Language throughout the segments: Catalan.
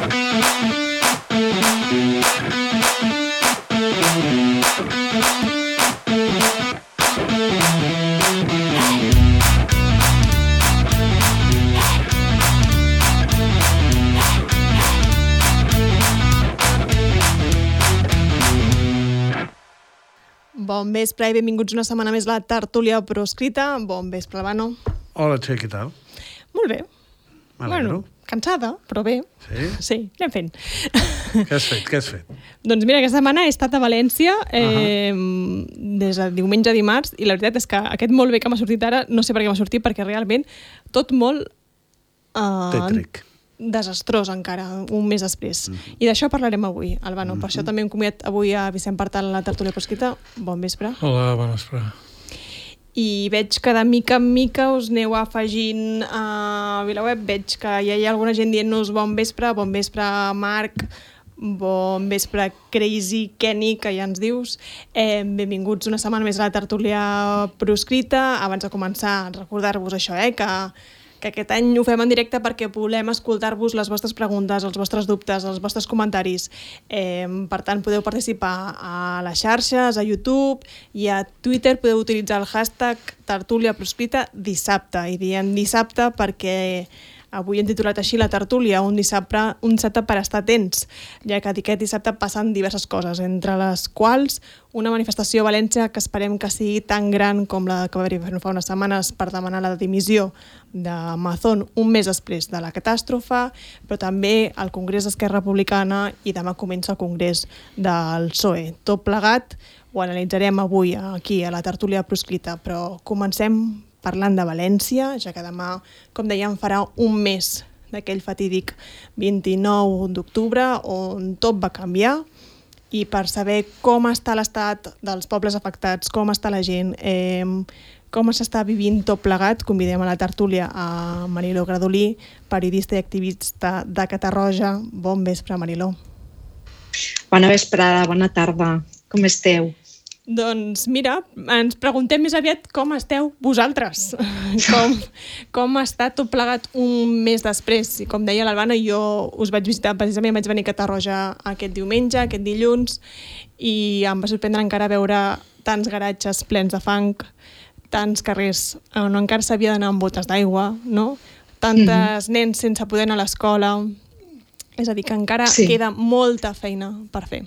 Bon vespre i benvinguts una setmana més a la tertúlia proscrita. Bon vespre, Albano. Hola, Txell, què tal? Molt bé. M'alegro. Cansada, però bé. Sí? Sí, anem fent. Què has fet? Doncs mira, aquesta setmana he estat a València des de diumenge a dimarts i la veritat és que aquest molt bé que m'ha sortit ara, no sé per què m'ha sortit, perquè realment tot molt... Tètric. Desastrós encara, un mes després. I d'això parlarem avui, Albano. Per això també hem convidat avui a Vicent Partal a la tertúlia proscrita. Bon vespre. Hola, bon vespre. I veig que de mica en mica us aneu afegint a VilaWeb. Veig que ja hi ha alguna gent dient-nos bon vespre, Marc, bon vespre Crazy Kenny, que ja ens dius. Benvinguts una setmana més a la tertúlia proscrita. Abans de començar, recordar-vos això, que aquest any ho fem en directe perquè volem escoltar-vos les vostres preguntes, els vostres dubtes, els vostres comentaris. Per tant, podeu participar a les xarxes, a YouTube i a Twitter. Podeu utilitzar el hashtag tertúlia proscrita dissabte. I diem dissabte perquè avui hem titulat així la tertúlia, un dissabte per estar atents, ja que aquest dissabte passen diverses coses, entre les quals una manifestació a València que esperem que sigui tan gran com la que va haver-hi fa unes setmanes per demanar la dimissió de Mazón un mes després de la catàstrofe, però també el Congrés d'Esquerra Republicana i demà comença el Congrés del PSOE. Tot plegat ho analitzarem avui aquí a la tertúlia proscrita, però comencem parlant de València, ja que demà, com dèiem, farà un mes d'aquell fatídic 29 d'octubre on tot va canviar, i per saber com està l'estat dels pobles afectats, com està la gent, com s'està vivint tot plegat, convidem a la tertúlia a Mariló Gradolí, periodista i activista de Catarroja. Bon vespre, Mariló. Bona vesprada, bona tarda. Com esteu? Doncs mira, ens preguntem més aviat com esteu vosaltres, com està tot plegat un mes després. I com deia l'Albano, jo us vaig visitar, precisament vaig venir a Catarroja aquest diumenge, aquest dilluns, i em va sorprendre encara veure tants garatges plens de fang, tants carrers on encara s'havia d'anar amb botes d'aigua, no? Tantes nens sense poder anar a l'escola. És a dir, que encara queda molta feina per fer.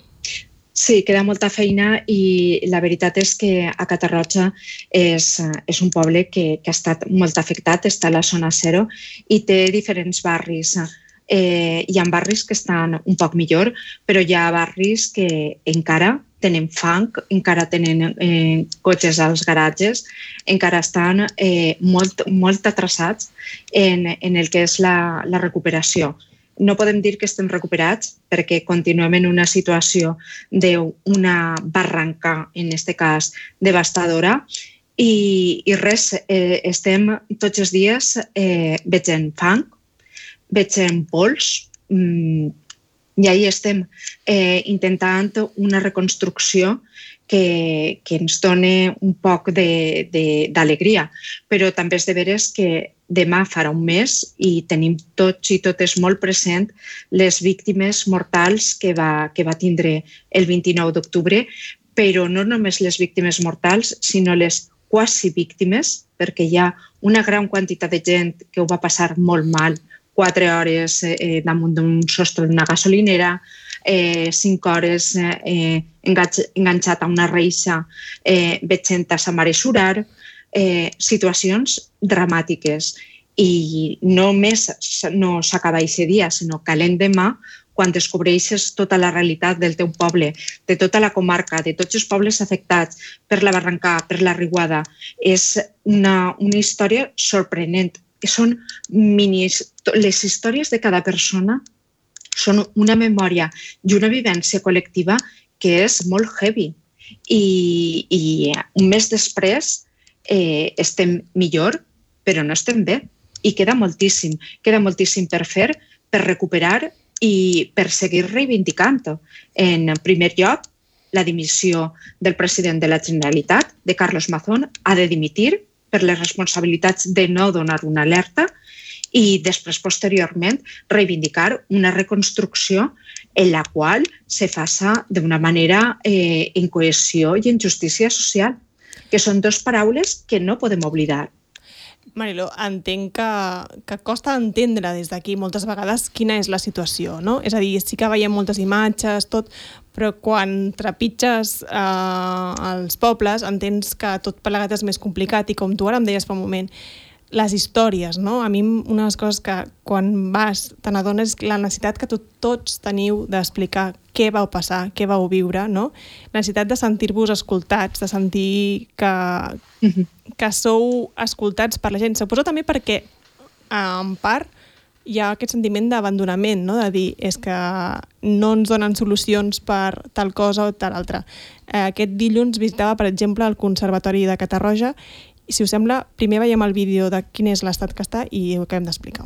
Sí, queda molta feina i la veritat és que a Catarroja és un poble que ha estat molt afectat, està a la zona zero i té diferents barris. Hi ha barris que estan un poc millor, però hi ha barris que encara tenen fang, encara tenen cotxes als garatges, encara estan molt atrasats en el que és la recuperació. No podem dir que estem recuperats perquè continuem en una situació d'una barranca, en aquest cas, devastadora i res, estem tots els dies veient fang, veient pols i ahí estem intentant una reconstrucció que ens doni un poc d'alegria, però també és de veres que demà farà un mes i tenim tots i totes molt present les víctimes mortals que va tindre el 29 d'octubre, però no només les víctimes mortals, sinó les quasi víctimes, perquè hi ha una gran quantitat de gent que ho va passar molt mal, 4 hores damunt d'un sostre d'una gasolinera, 5 hores enganxat a una reixa veient a sa mare surar, situacions dramàtiques. I no només no s'acaba aquest dia, sinó que l'endemà, quan descobreixes tota la realitat del teu poble, de tota la comarca, de tots els pobles afectats per la barranca, per la riuada, és una història sorprenent. Són les històries de cada persona són una memòria i una vivència col·lectiva que és molt heavy. I un mes després estem millor, però no estem bé. I queda moltíssim per fer, per recuperar i per seguir reivindicant. En primer lloc, la dimissió del president de la Generalitat, de Carlos Mazón, ha de dimitir per les responsabilitats de no donar una alerta i després, posteriorment, reivindicar una reconstrucció en la qual se faça d'una manera en cohesió i en justícia social, que són dues paraules que no podem oblidar. Mariló, entenc que costa entendre des d'aquí moltes vegades quina és la situació, no? És a dir, sí que veiem moltes imatges, tot, però quan trepitges els pobles entens que tot plegat és més complicat i com tu ara em deies fa un moment, les històries, no? A mi una de les coses que quan vas te n'adones és la necessitat que tots teniu d'explicar què vau passar, què vau viure, no? La necessitat de sentir-vos escoltats, de sentir que sou escoltats per la gent. Suposo també perquè, en part, hi ha aquest sentiment d'abandonament, no? De dir, és que no ens donen solucions per tal cosa o tal altra. Aquest dilluns visitava, per exemple, el Conservatori de Catarroja. Si us sembla, primer veiem el vídeo de quin és l'estat que està i ho acabem d'explicar.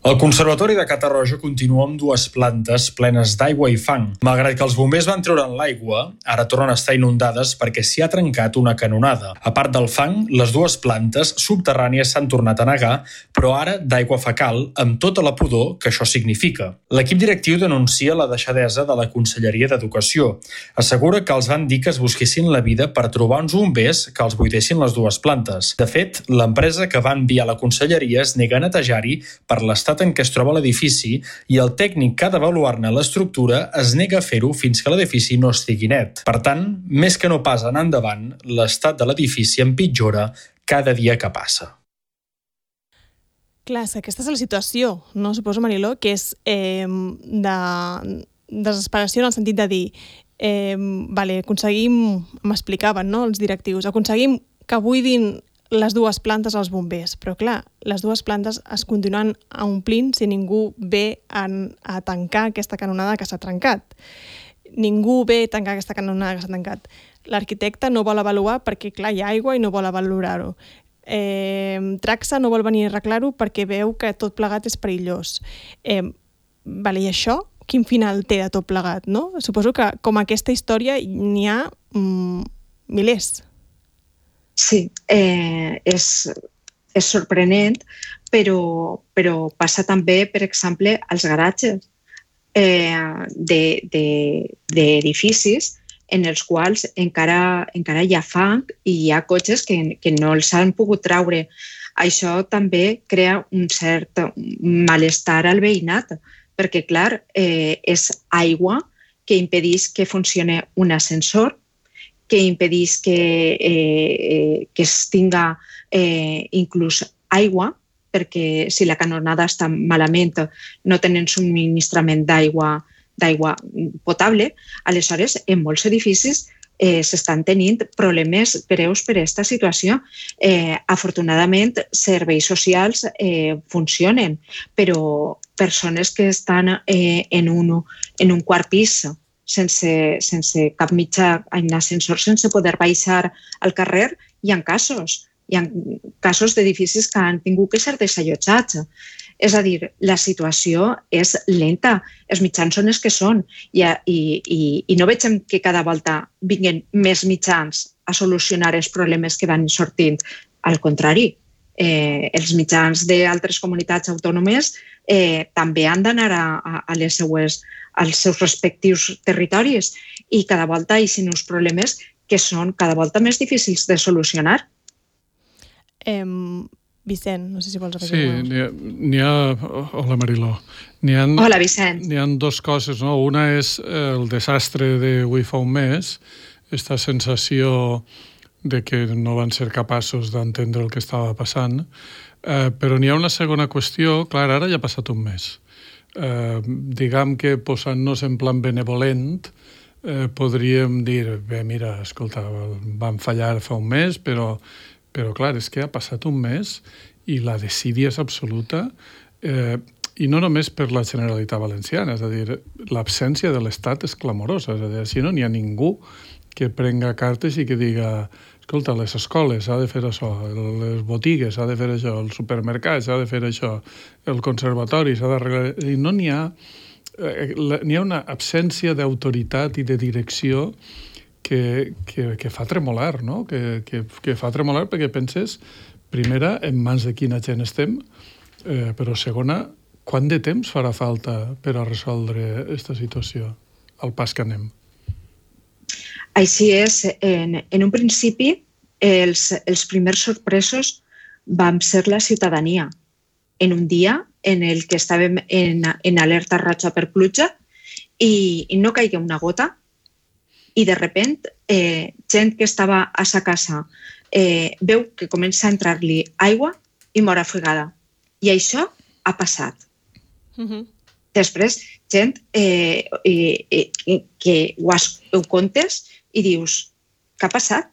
El Conservatori de Catarroja continua amb 2 plantes plenes d'aigua i fang. Malgrat que els bombers van treure'n l'aigua, ara tornen a estar inundades perquè s'hi ha trencat una canonada. A part del fang, les 2 plantes subterrànies s'han tornat a negar, però ara d'aigua fecal, amb tota la pudor que això significa. L'equip directiu denuncia la deixadesa de la Conselleria d'Educació. Assegura que els van dir que es busquessin la vida per trobar uns bombers que els buidessin les 2 plantes. De fet, l'empresa que va enviar la Conselleria es nega a netejar-hi per l'estat en què es troba l'edifici i el tècnic que ha d'avaluar-ne l'estructura es nega a fer-ho fins que l'edifici no estigui net. Per tant, més que no pas anar endavant, l'estat de l'edifici empitjora cada dia que passa. Clar, aquesta és la situació, no? Suposo, Mariló, que és de desesperació en el sentit de dir aconseguim, m'explicaven, no?, els directius, aconseguim que buidin les 2 plantes als bombers, però clar, les 2 plantes es continuen omplint si ningú ve a tancar aquesta canonada que s'ha trencat. Ningú ve a tancar aquesta canonada que s'ha tancat. L'arquitecte no vol avaluar perquè, clar, hi ha aigua i no vol valorar-ho. Traxa no vol venir a arreglar-ho perquè veu que tot plegat és perillós. I això, quin final té de tot plegat, no? Suposo que com aquesta història n'hi ha milers. Sí, és sorprenent, però passa també, per exemple, als garatges d'edificis en els quals encara hi ha fang i hi ha cotxes que no els han pogut treure. Això també crea un cert malestar al veïnat, perquè, clar, és aigua que impedeix que funcioni un ascensor, que impedeix que es tinga inclús aigua, perquè si la canonada està malament no tenen subministrament d'aigua potable. Aleshores, en molts edificis s'estan tenint problemes greus per aquesta situació. Afortunadament, serveis socials funcionen, però persones que estan en un quart pis sense cap mitjà, en ascensor, sense poder baixar al carrer, hi ha casos d'edificis que han tingut que ser desallotjats. És a dir, la situació és lenta, els mitjans són els que són i no veiem que cada volta vinguin més mitjans a solucionar els problemes que van sortint. Al contrari, els mitjans d'altres comunitats autònomes també han d'anar als seus respectius territoris i cada volta hi ha uns problemes que són cada volta més difícils de solucionar. Vicent, no sé si vols afegir. Sí, hola Mariló. Hola Vicent. N'hi ha 2 coses, no? Una és el desastre d'avui fa un mes, aquesta sensació de que no van ser capaços d'entendre el que estava passant, però n'hi ha una segona qüestió, clar, ara ja ha passat un mes. Diguem que posant-nos en plan benevolent podríem dir, bé, mira, escolta, van fallar fa un mes, però clar, és que ha passat un mes i la desídia és absoluta, i no només per la Generalitat Valenciana, és a dir, l'absència de l'Estat és clamorosa, és a dir, si no n'hi ha ningú que prenga cartes i que diga, escolta, les escoles s'ha de fer això, les botigues s'ha de fer això, el supermercat s'ha de fer això, el conservatori s'ha d'arreglar... I no n'hi ha... N'hi ha una absència d'autoritat i de direcció que fa tremolar, no? Que fa tremolar perquè penses, primera, en mans de quina gent estem, Però segona, quant de temps farà falta per a resoldre aquesta situació, al pas que anem? Així és. En un principi, els primers sorpresos vam ser la ciutadania. En un dia en el que estàvem en alerta roja per pluja i no caigué una gota i de sobte gent que estava a sa casa veu que comença a entrar-li aigua i mor afegada. I això ha passat. Després, gent que ho contes i dius, què ha passat?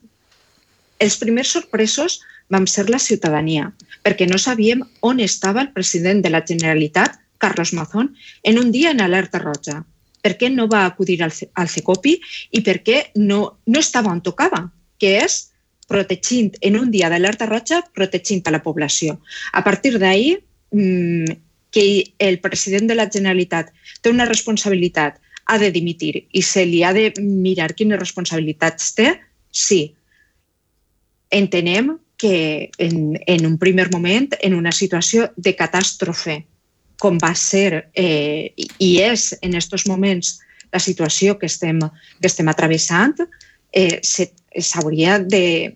Els primers sorpresos vam ser la ciutadania, perquè no sabíem on estava el president de la Generalitat, Carlos Mazón, en un dia en alerta roja. Per què no va acudir al CECOPI i per què no estava on tocava, que és protegint, en un dia d'alerta roja, protegint a la població. A partir d'ahir, que el president de la Generalitat té una responsabilitat, ha de dimitir i se li ha de mirar quines responsabilitats té, sí. Entenem que en un primer moment, en una situació de catàstrofe, com va ser i és en aquests moments la situació que estem travessant, s'hauria de...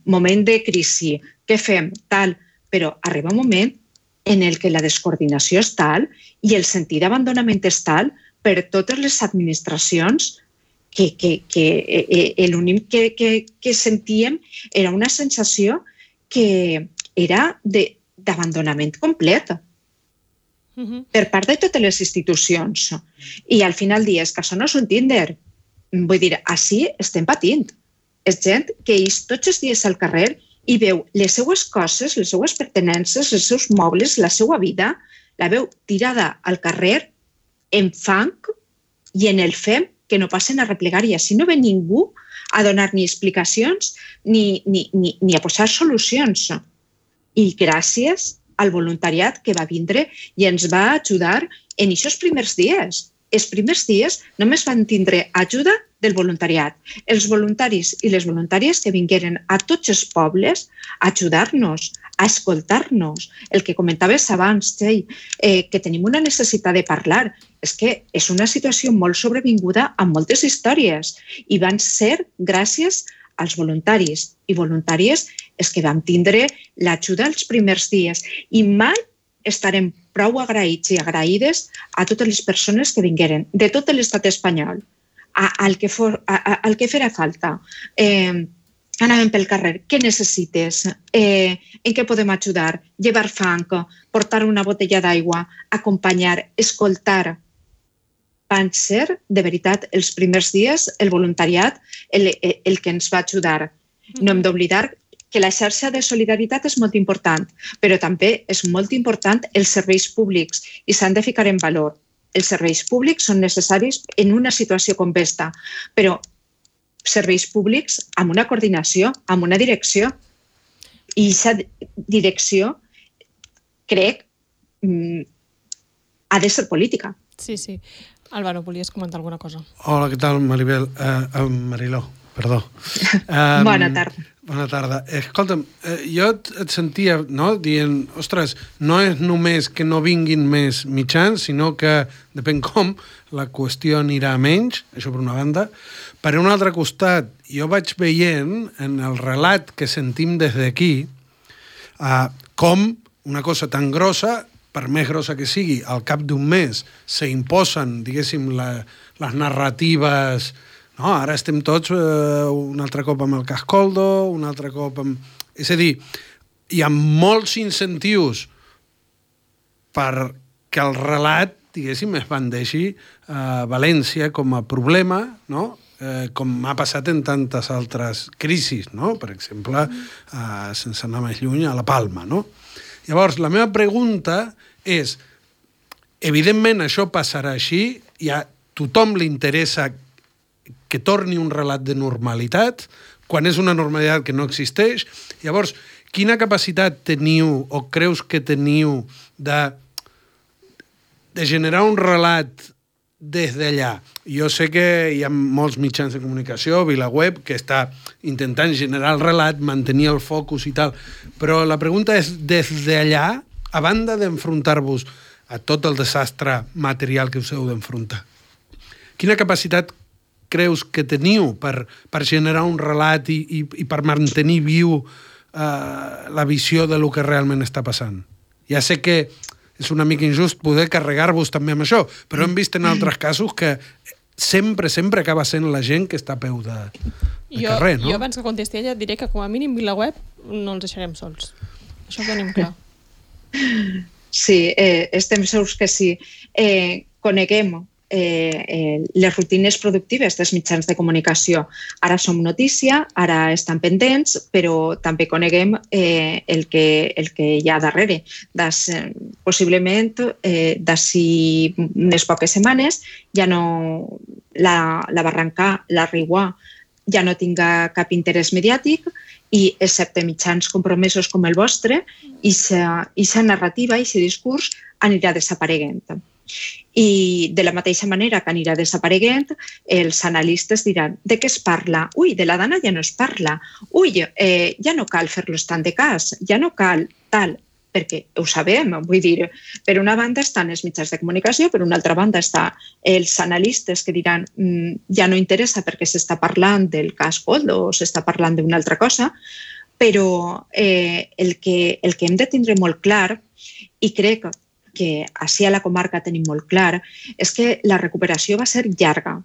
moment de crisi, què fem? Tal. Però arriba un moment en el que la descoordinació és tal i el sentit d'abandonament és tal per totes les administracions que l'únic que sentíem era una sensació que era d'abandonament complet per part de totes les institucions. I al final dius que això no és un Tinder. Vull dir, així estem patint. És gent que és tots els dies al carrer i veu les seues coses, les seues pertenences, els seus mobles, la seva vida, la veu tirada al carrer en fang i en el fem que no passen a replegar i així no ve ningú a donar ni explicacions ni a posar solucions. I gràcies al voluntariat que va vindre i ens va ajudar en aquests primers dies. Els primers dies només van tindre ajuda del voluntariat. Els voluntaris i les voluntàries que vingueren a tots els pobles a ajudar-nos, a escoltar-nos. El que comentaves abans, Txell, que tenim una necessitat de parlar. És que és una situació molt sobrevinguda amb moltes històries i van ser gràcies als voluntaris i voluntàries és que vam tindre l'ajuda els primers dies i mai estarem prou agraïts i agraïdes a totes les persones que vingueren de tot l'estat espanyol, al que farà falta. Anàvem pel carrer, què necessites? En què podem ajudar? Llevar fang, portar una botella d'aigua, acompanyar, escoltar. Van ser, de veritat, els primers dies, el voluntariat, el que ens va ajudar. No hem d'oblidar que la xarxa de solidaritat és molt important, però també és molt important els serveis públics i s'han de ficar en valor. Els serveis públics són necessaris en una situació com aquesta, però serveis públics amb una coordinació, amb una direcció. I aquesta direcció, crec, ha de ser política. Sí, sí. Álvaro, volies comentar alguna cosa? Hola, què tal, Maribel? Mariló, perdó. Bona tarda. Bona tarda. Escolta'm, jo et sentia dient, ostres, no és només que no vinguin més mitjans, sinó que, depèn com, la qüestió anirà a menys, això per una banda. Per un altre costat, jo vaig veient en el relat que sentim des d'aquí com una cosa tan grossa, per més grossa que sigui, al cap d'un mes s'imposen, diguéssim, les narratives. No, ara estem tots un altre cop amb el Cascoldo, un altre cop amb... És a dir, hi ha molts incentius perquè el relat, diguéssim, es bandeixi a València com a problema, no? Com ha passat en tantes altres crisis, no? Per exemple, sense anar més lluny, a la Palma, no? Llavors, la meva pregunta és, evidentment això passarà així, i a tothom li interessa que torni un relat de normalitat, quan és una normalitat que no existeix. Llavors, quina capacitat teniu o creus que teniu de generar un relat des d'allà? Jo sé que hi ha molts mitjans de comunicació, VilaWeb, que està intentant generar el relat, mantenir el focus i tal, però la pregunta és, des d'allà, a banda d'enfrontar-vos a tot el desastre material que us heu d'enfrontar, quina capacitat creus que teniu per generar un relat i per mantenir viu la visió de lo que realment està passant? Ja sé que és una mica injust poder carregar-vos també amb això, però hem vist en altres casos que sempre acaba sent la gent que està a peu de carrer, no? Jo abans que contesti ella et diré que com a mínim VilaWeb no els deixarem sols. Això ho tenim clar. Sí, estem segurs que sí. Coneguem les rutines productives dels mitjans de comunicació. Ara som notícia, ara estan pendents, però també coneguem el que hi ha darrere. Possiblement, d'ací unes poques setmanes, ja no la Barrancà, la Riuà, ja no tinga cap interès mediàtic i, excepte mitjans compromesos com el vostre, aquesta narrativa, aquest discurs anirà desapareguent. I de la mateixa manera que anirà desapareguent, els analistes diran: de què es parla? Ui, de la dana ja no es parla. Ui, ja no cal fer-los tant de cas, ja no cal tal, perquè ho sabem, vull dir, per una banda estan els mitjans de comunicació, per una altra banda estan els analistes que diran ja no interessa perquè s'està parlant del cas Koldo o s'està parlant d'una altra cosa, però el que hem de tindre molt clar, i crec que així a la comarca tenim molt clar, és que la recuperació va ser llarga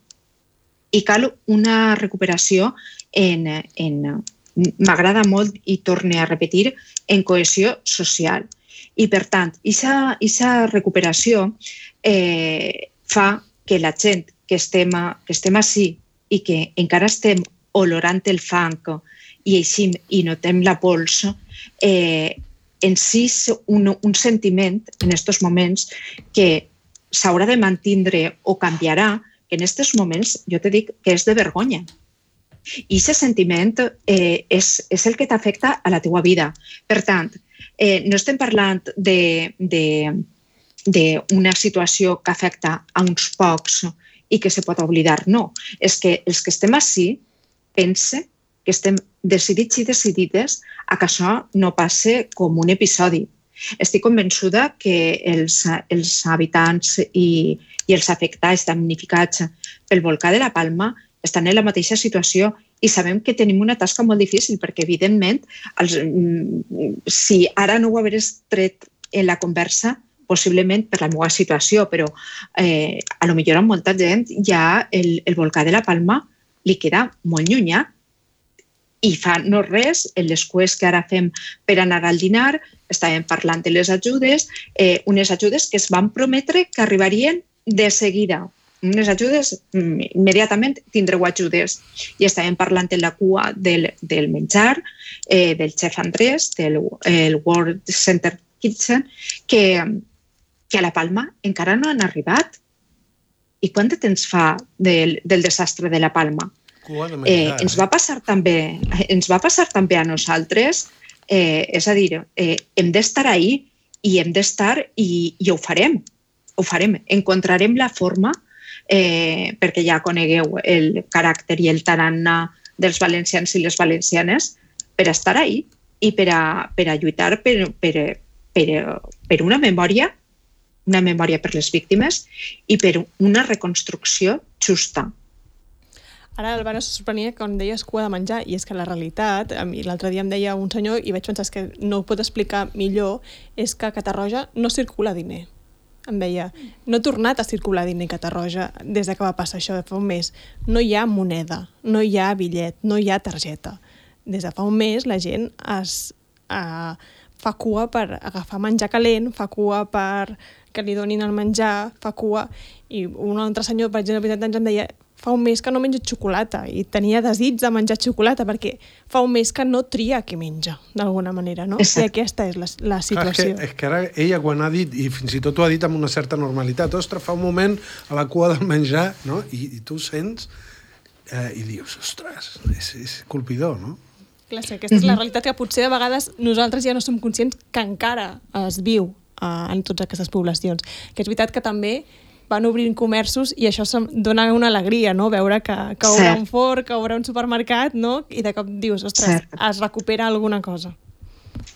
i cal una recuperació m'agrada molt i torne a repetir, en cohesió social. I per tant, aquesta recuperació fa que la gent que estem ací i que encara estem olorant el fang i així i notem la pols, en si un sentiment en aquests moments que s'haurà de mantindre o canviarà, que en aquests moments jo te dic que és de vergonya. I aquest sentiment és el que t'afecta a la teua vida. Per tant, no estem parlant d'una situació que afecta a uns pocs i que se pot oblidar, no. És que els que estem ací pense que estem decidits i decidides a que això no passe com un episodi. Estic convençuda que els habitants i els afectats, damnificats pel volcà de la Palma estan en la mateixa situació i sabem que tenim una tasca molt difícil perquè, evidentment, si ara no ho hagués tret en la conversa, possiblement per la meva situació, però a lo millor a molta gent ja el volcà de la Palma li queda molt llunyà. I fa no res, en les cues que ara fem per anar al dinar, estàvem parlant de les ajudes, unes ajudes que es van prometre que arribarien de seguida. Unes ajudes, immediatament tindreu ajudes. I estàvem parlant de la cua del menjar, del xef Andrés, del World Center Kitchen, que a la Palma encara no han arribat. I quant de temps fa del desastre de la Palma? Ens va passar també a nosaltres, és a dir, hem d'estar ahí i hem d'estar i ho farem, encontrarem la forma, perquè ja conegueu el caràcter i el tarannà dels valencians i les valencianes, per estar ahí i per a lluitar per una memòria per les víctimes i per una reconstrucció justa. Ara, Albano, se sorprenia quan deies cua de menjar, i és que la realitat, a mi l'altre dia em deia un senyor, i vaig pensar que no ho pot explicar millor, és que a Catarroja no circula diner. Em deia, no ha tornat a circular diner a Catarroja des que va passar això de fa un mes. No hi ha moneda, no hi ha bitllet, no hi ha targeta. Des de fa un mes la gent fa cua per agafar menjar calent, fa cua per que li donin el menjar, fa cua... I un altre senyor, per exemple, em deia, fa un mes que no menja xocolata i tenia desig de menjar xocolata perquè fa un mes que no tria què menja, d'alguna manera, no? Exacte. I aquesta és la situació. És que ara ella quan ha dit, i fins i tot ho ha dit amb una certa normalitat, ostres, fa un moment a la cua del menjar, no? I tu sents i dius, ostres, és colpidor, no? Clar, sí, aquesta és la realitat que potser de vegades nosaltres ja no som conscients que encara es viu en totes aquestes poblacions. Que és veritat que també van obrint comerços i això dona una alegria, no? Veure que haurà un forn, que haurà un supermercat, no? I de cop dius, ostres, es recupera alguna cosa.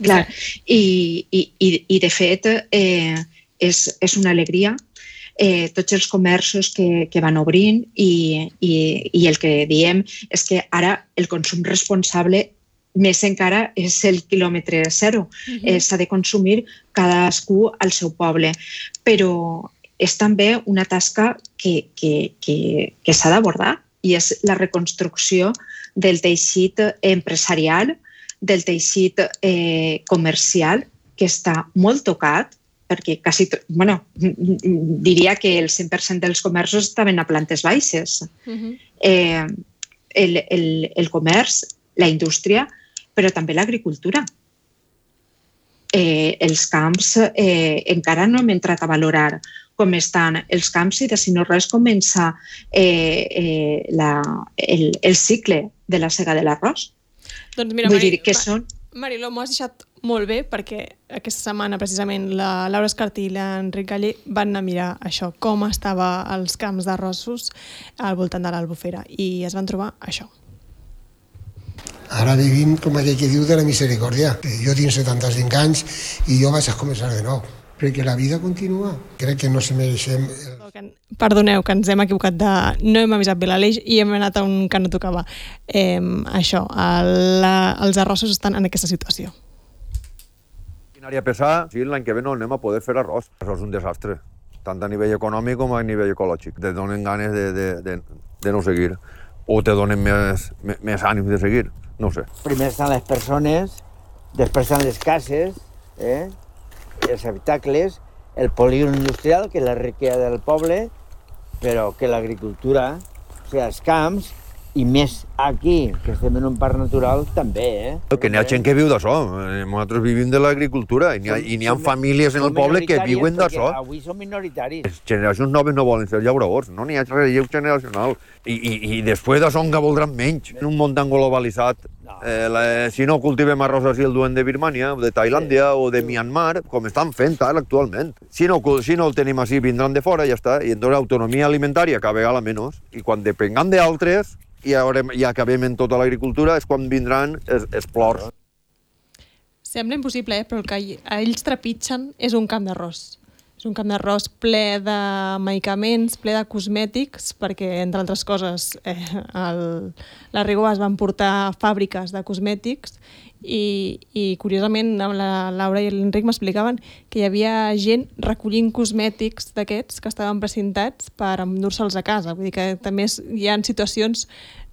Clar, i de fet és una alegria tots els comerços que van obrint i el que diem és que ara el consum responsable més encara és el quilòmetre zero. S'ha de consumir cadascú al seu poble, però és també una tasca que s'ha d'abordar i és la reconstrucció del teixit empresarial, del teixit comercial, que està molt tocat, perquè diria que el 100% dels comerços estaven a plantes baixes. El comerç, la indústria, però també l'agricultura. Els camps encara no hem entrat a valorar com estan els camps i de si no res comença el cicle de la sega de l'arròs. Doncs mira, Mariló, m'ho has deixat molt bé perquè aquesta setmana precisament la Laura Escartí i l'Enric Galler van anar a mirar això, com estava els camps d'arrossos al voltant de l'Albufera i es van trobar això. Ara vivim, com aquell que diu, de la misericòrdia. Jo tinc 75 anys i jo vaig a començar de nou, perquè la vida continua. Crec que no se mereixem... Perdoneu, que ens hem equivocat no hem avisat bé l'Aleix i hem anat a un que no tocava. Això, els arrossos estan en aquesta situació. Maquinària pesada, sí, l'any que ve no anem a poder fer arròs. Això és un desastre, tant a nivell econòmic com a nivell ecològic. Te donen ganes de no seguir, o te donen més ànims de seguir, no sé. Primer estan les persones, després estan les cases, els habitacles, el polígon industrial, que és la riquesa del poble, però que l'agricultura, o sigui, els camps, i més aquí, que estem en un parc natural, també, Que n'hi ha gent que viu d'això. Nosaltres vivim de l'agricultura i n'hi ha famílies en el poble que viuen d'això. Avui són minoritaris. Les generacions noves no volen ser llauradors, no n'hi ha relleu generacional. I després d'això encara voldran menys. En un món tan globalitzat, si no cultivem arròs així el duen de Birmània, o de Tailàndia o de Myanmar, com estan fent ara actualment. Si no el tenim així, vindran de fora i ja està. I entonces l'autonomia alimentària cada vegada menys. I quan depengam d'altres i acabem en tota l'agricultura és quan vindran els plors. Sembla impossible, però el que ells trepitgen és un camp d'arròs. És un camp d'arròs ple de medicaments, ple de cosmètics, perquè, entre altres coses, la Rigó es van portar fàbriques de cosmètics i curiosament, la Laura i l'Enric m'explicaven que hi havia gent recollint cosmètics d'aquests que estaven precintats per endur-se'ls a casa. Vull dir que també hi ha situacions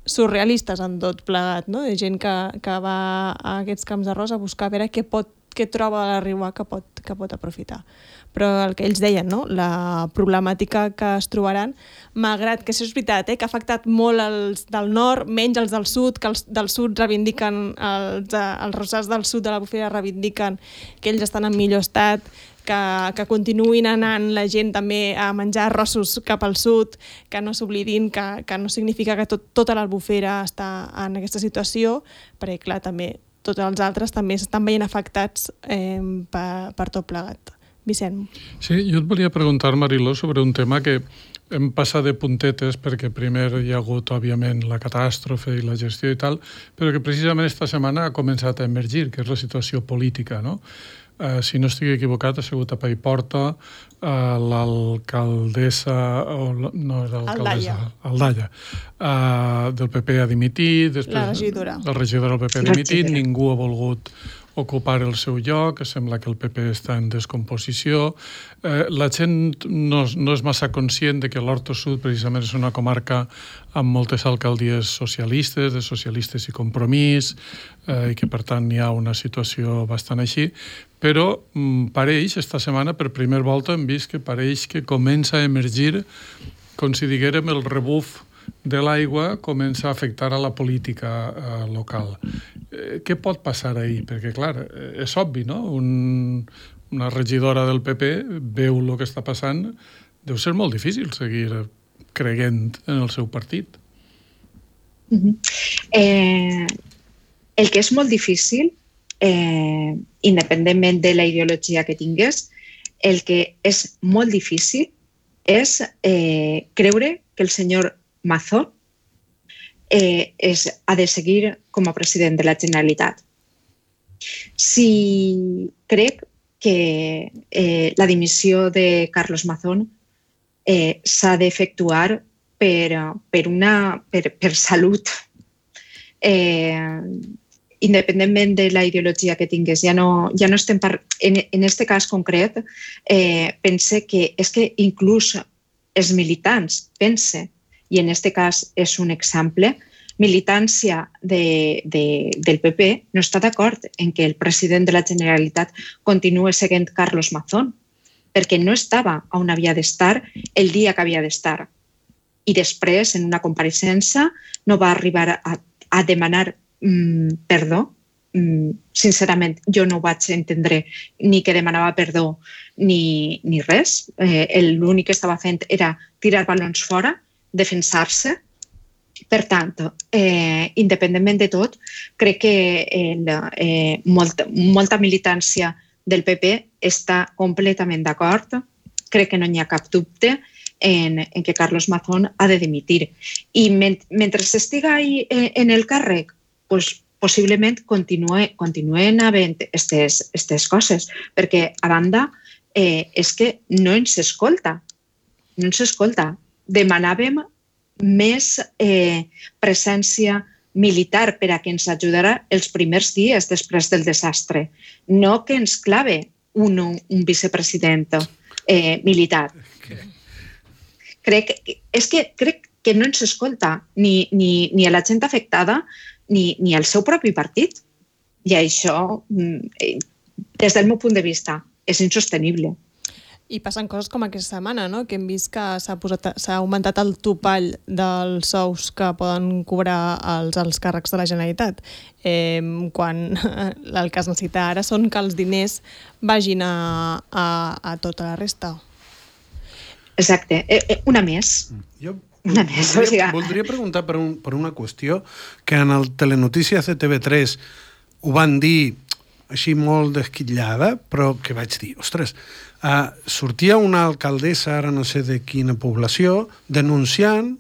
surrealistes en tot plegat, no? De gent que va a aquests camps d'arròs a buscar a veure què troba a la Riuà que pot aprofitar. Però el que ells deien, no? La problemàtica que es trobaran, malgrat que això és veritat, que ha afectat molt els del nord, menys els del sud, que els del sud reivindiquen, els arrossars del sud de l'Albufera reivindiquen que ells estan en millor estat, que continuïn anant la gent també a menjar arrossos cap al sud, que no s'oblidin que no significa que tota l'Albufera està en aquesta situació, perquè clar, també tots els altres també s'estan veient afectats per tot plegat. Vicent. Sí, jo et volia preguntar, Mariló, sobre un tema que hem passat de puntetes perquè primer hi ha hagut, òbviament, la catàstrofe i la gestió i tal, però que precisament esta setmana ha començat a emergir, que és la situació política, no? Si no estic equivocat, ha sigut a Paiporta, l'alcaldessa... No era l'alcaldessa. Aldaya. Del PP ha dimitit. La regidora. El regidor del PP ha dimitit, ningú ha volgut ocupar el seu lloc, sembla que el PP està en descomposició. La gent no és massa conscient de que l'Horta Sud precisament és una comarca amb moltes alcaldies socialistes, de Socialistes i Compromís, i que per tant hi ha una situació bastant així, però pareix, esta setmana, per primera volta hem vist que pareix que comença a emergir, com si diguérem, el rebuf de l'aigua comença a afectar a la política local. Què pot passar ahir? Perquè, clar, és obvi, no? Una regidora del PP veu el que està passant, deu ser molt difícil seguir creient en el seu partit. El que és molt difícil, independentment de la ideologia que tingués, el que és molt difícil és creure que el senyor Mazón ha de seguir com a president de la Generalitat. Si crec que la dimissió de Carlos Mazón s'ha d'efectuar per salut, independentment de la ideologia que tingués. Ja no estem en este cas concret, pense que és que inclús els militants, pense, i en este cas és un exemple, militància del PP no està d'acord en que el president de la Generalitat continuï seguint Carlos Mazón, perquè no estava on havia d'estar el dia que havia d'estar. I després, en una compareixença, no va arribar a demanar perdó. Sincerament, jo no ho vaig entendre ni que demanava perdó ni res. L'únic que estava fent era tirar balons fora, defensar-se. Per tant, independentment de tot, crec que molta militància del PP està completament d'acord. Crec que no hi ha cap dubte en que Carlos Mazón ha de dimitir. I mentre estiga en el càrrec, possiblement continuen havent aquestes coses, perquè a banda és que no ens escolta. No ens escolta. Demanàvem més presència militar per a que ens ajudarà els primers dies després del desastre, no que ens clave un vicepresident militar. Crec que no ens escolta ni a la gent afectada ni al seu propi partit. I això, des del meu punt de vista, és insostenible. I passen coses com aquesta setmana, no? Que hem vist que s'ha augmentat el topall dels sous que poden cobrar els alts càrrecs de la Generalitat. Quan el que es necessita ara són que els diners vagin a tota la resta. Exacte. Una més. Voldria preguntar per una qüestió que en el Telenotícies de TV3 ho van dir així molt desquitllada, però que vaig dir, ostres, sortia una alcaldessa, ara no sé de quina població, denunciant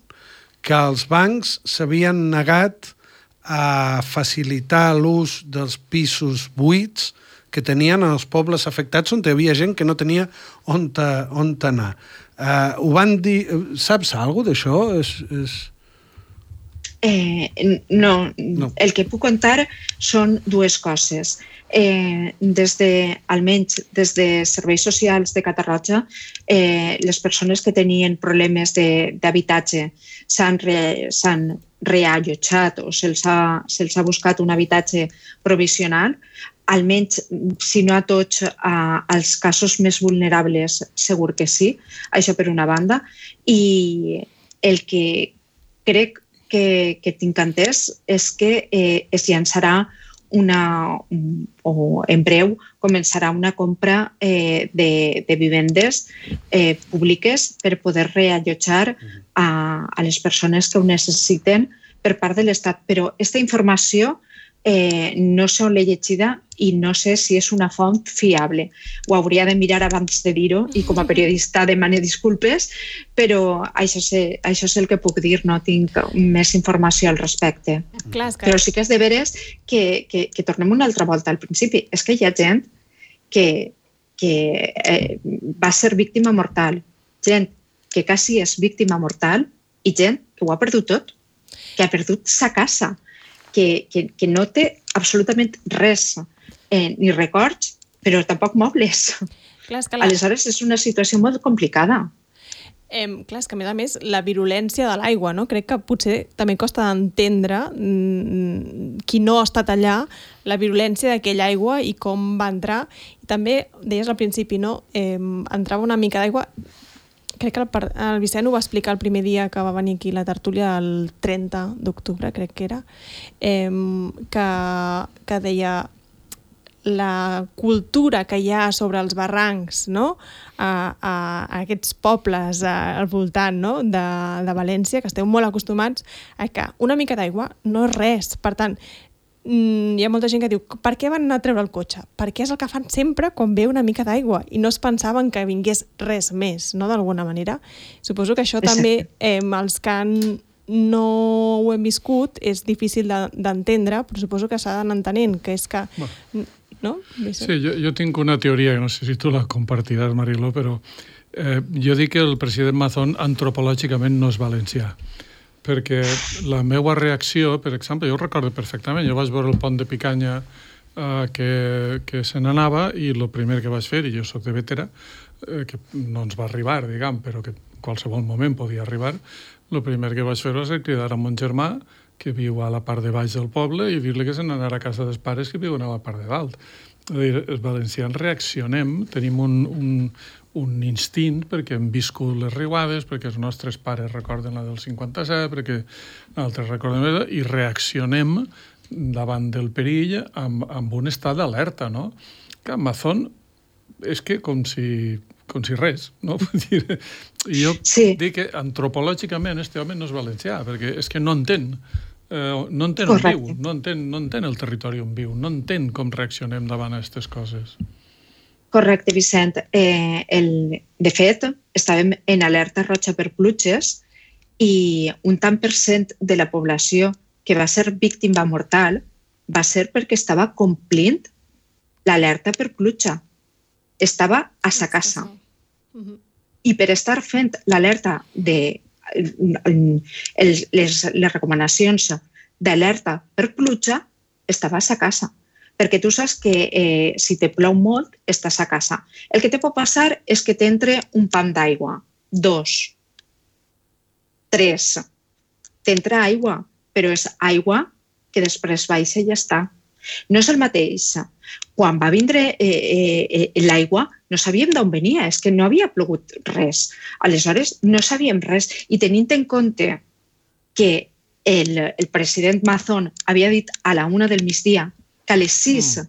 que els bancs s'havien negat a facilitar l'ús dels pisos buits que tenien els pobles afectats on hi havia gent que no tenia on anar. Ho van dir... Saps alguna cosa d'això? No. El que puc contar són dues coses. Almenys des de Serveis Socials de Catarroja, les persones que tenien problemes d'habitatge s'han reallotjat o se'ls ha buscat un habitatge provisional, almenys, si no a tots, als casos més vulnerables, segur que sí, això per una banda. I el que crec que tinc entès és que es llançarà o en breu començarà una compra de vivendes públiques per poder reallotjar a les persones que ho necessiten per part de l'Estat. Però aquesta informació no sé on l'he llegida i no sé si és una font fiable. Ho hauria de mirar abans de dir-ho i com a periodista demane disculpes, però això és el que puc dir, no tinc més informació al respecte. Però sí que és de veres que tornem una altra volta al principi. És que hi ha gent que va ser víctima mortal, gent que quasi és víctima mortal i gent que ho ha perdut tot, que ha perdut sa casa, que no té absolutament res, ni records, però tampoc mobles. Aleshores és una situació molt complicada. Clar, és que a més la virulència de l'aigua, no? Crec que potser també costa d'entendre qui no ha estat allà, la virulència d'aquella aigua i com va entrar. I també, deies al principi, no? Entrava una mica d'aigua. Crec que el Vicent ho va explicar el primer dia que va venir aquí la tertúlia, el 30 d'octubre, crec que era, que deia la cultura que hi ha sobre els barrancs, no? A aquests pobles al voltant, no? de València, que esteu molt acostumats a que una mica d'aigua no és res. Per tant, hi ha molta gent que diu, per què van anar a treure el cotxe? Perquè és el que fan sempre quan ve una mica d'aigua i no es pensaven que vingués res més, no? D'alguna manera. Suposo que això també els que han no ho hem viscut, és difícil d'entendre, però suposo que s'ha d'anar entenent, que és que... No? Sí, jo tinc una teoria, que no sé si tu la compartiràs, Mariló, però jo dic que el president Mazón antropològicament no és valencià, perquè la meva reacció, per exemple, jo ho recordo perfectament, jo vaig veure el pont de Picanya que se n'anava i el primer que vaig fer, i jo soc de Bétera, que no ens va arribar, diguem, però que en qualsevol moment podia arribar, el primer que vaig fer va ser cridar a mon germà, que viu a la part de baix del poble, i dir-li que se n'anara a casa dels pares que viuen a la part de dalt. És a dir, els valencians reaccionem, tenim un instint, perquè hem viscut les riuades, perquè els nostres pares recorden la del 57, perquè altres recorden, i reaccionem davant del perill amb un estat d'alerta, no? Que Mazón és que com si res, no? Jo dic que antropològicament este home no és valencià, perquè és que no entén on viu, no entén el territori on viu, no entén com reaccionem davant a aquestes coses. Correcte, Vicent. De fet, estàvem en alerta roja per pluges i un tant per cent de la població que va ser víctima mortal va ser perquè estava complint l'alerta per pluja. Estava a sa casa. I per estar fent l'alerta les recomanacions d'alerta per pluja, estava a sa casa. Perquè tu saps que si te plou molt, estàs a casa. El que te pot passar és que t'entre un pam d'aigua, 2, 3. T'entra aigua, però és aigua que després baixa i ja està. No és el mateix. Quan va vindre l'aigua, no sabíem d'on venia, és que no havia plogut res. Aleshores, no sabíem res. I tenint en compte que el president Mazón havia dit a la 1 del migdia que a les 6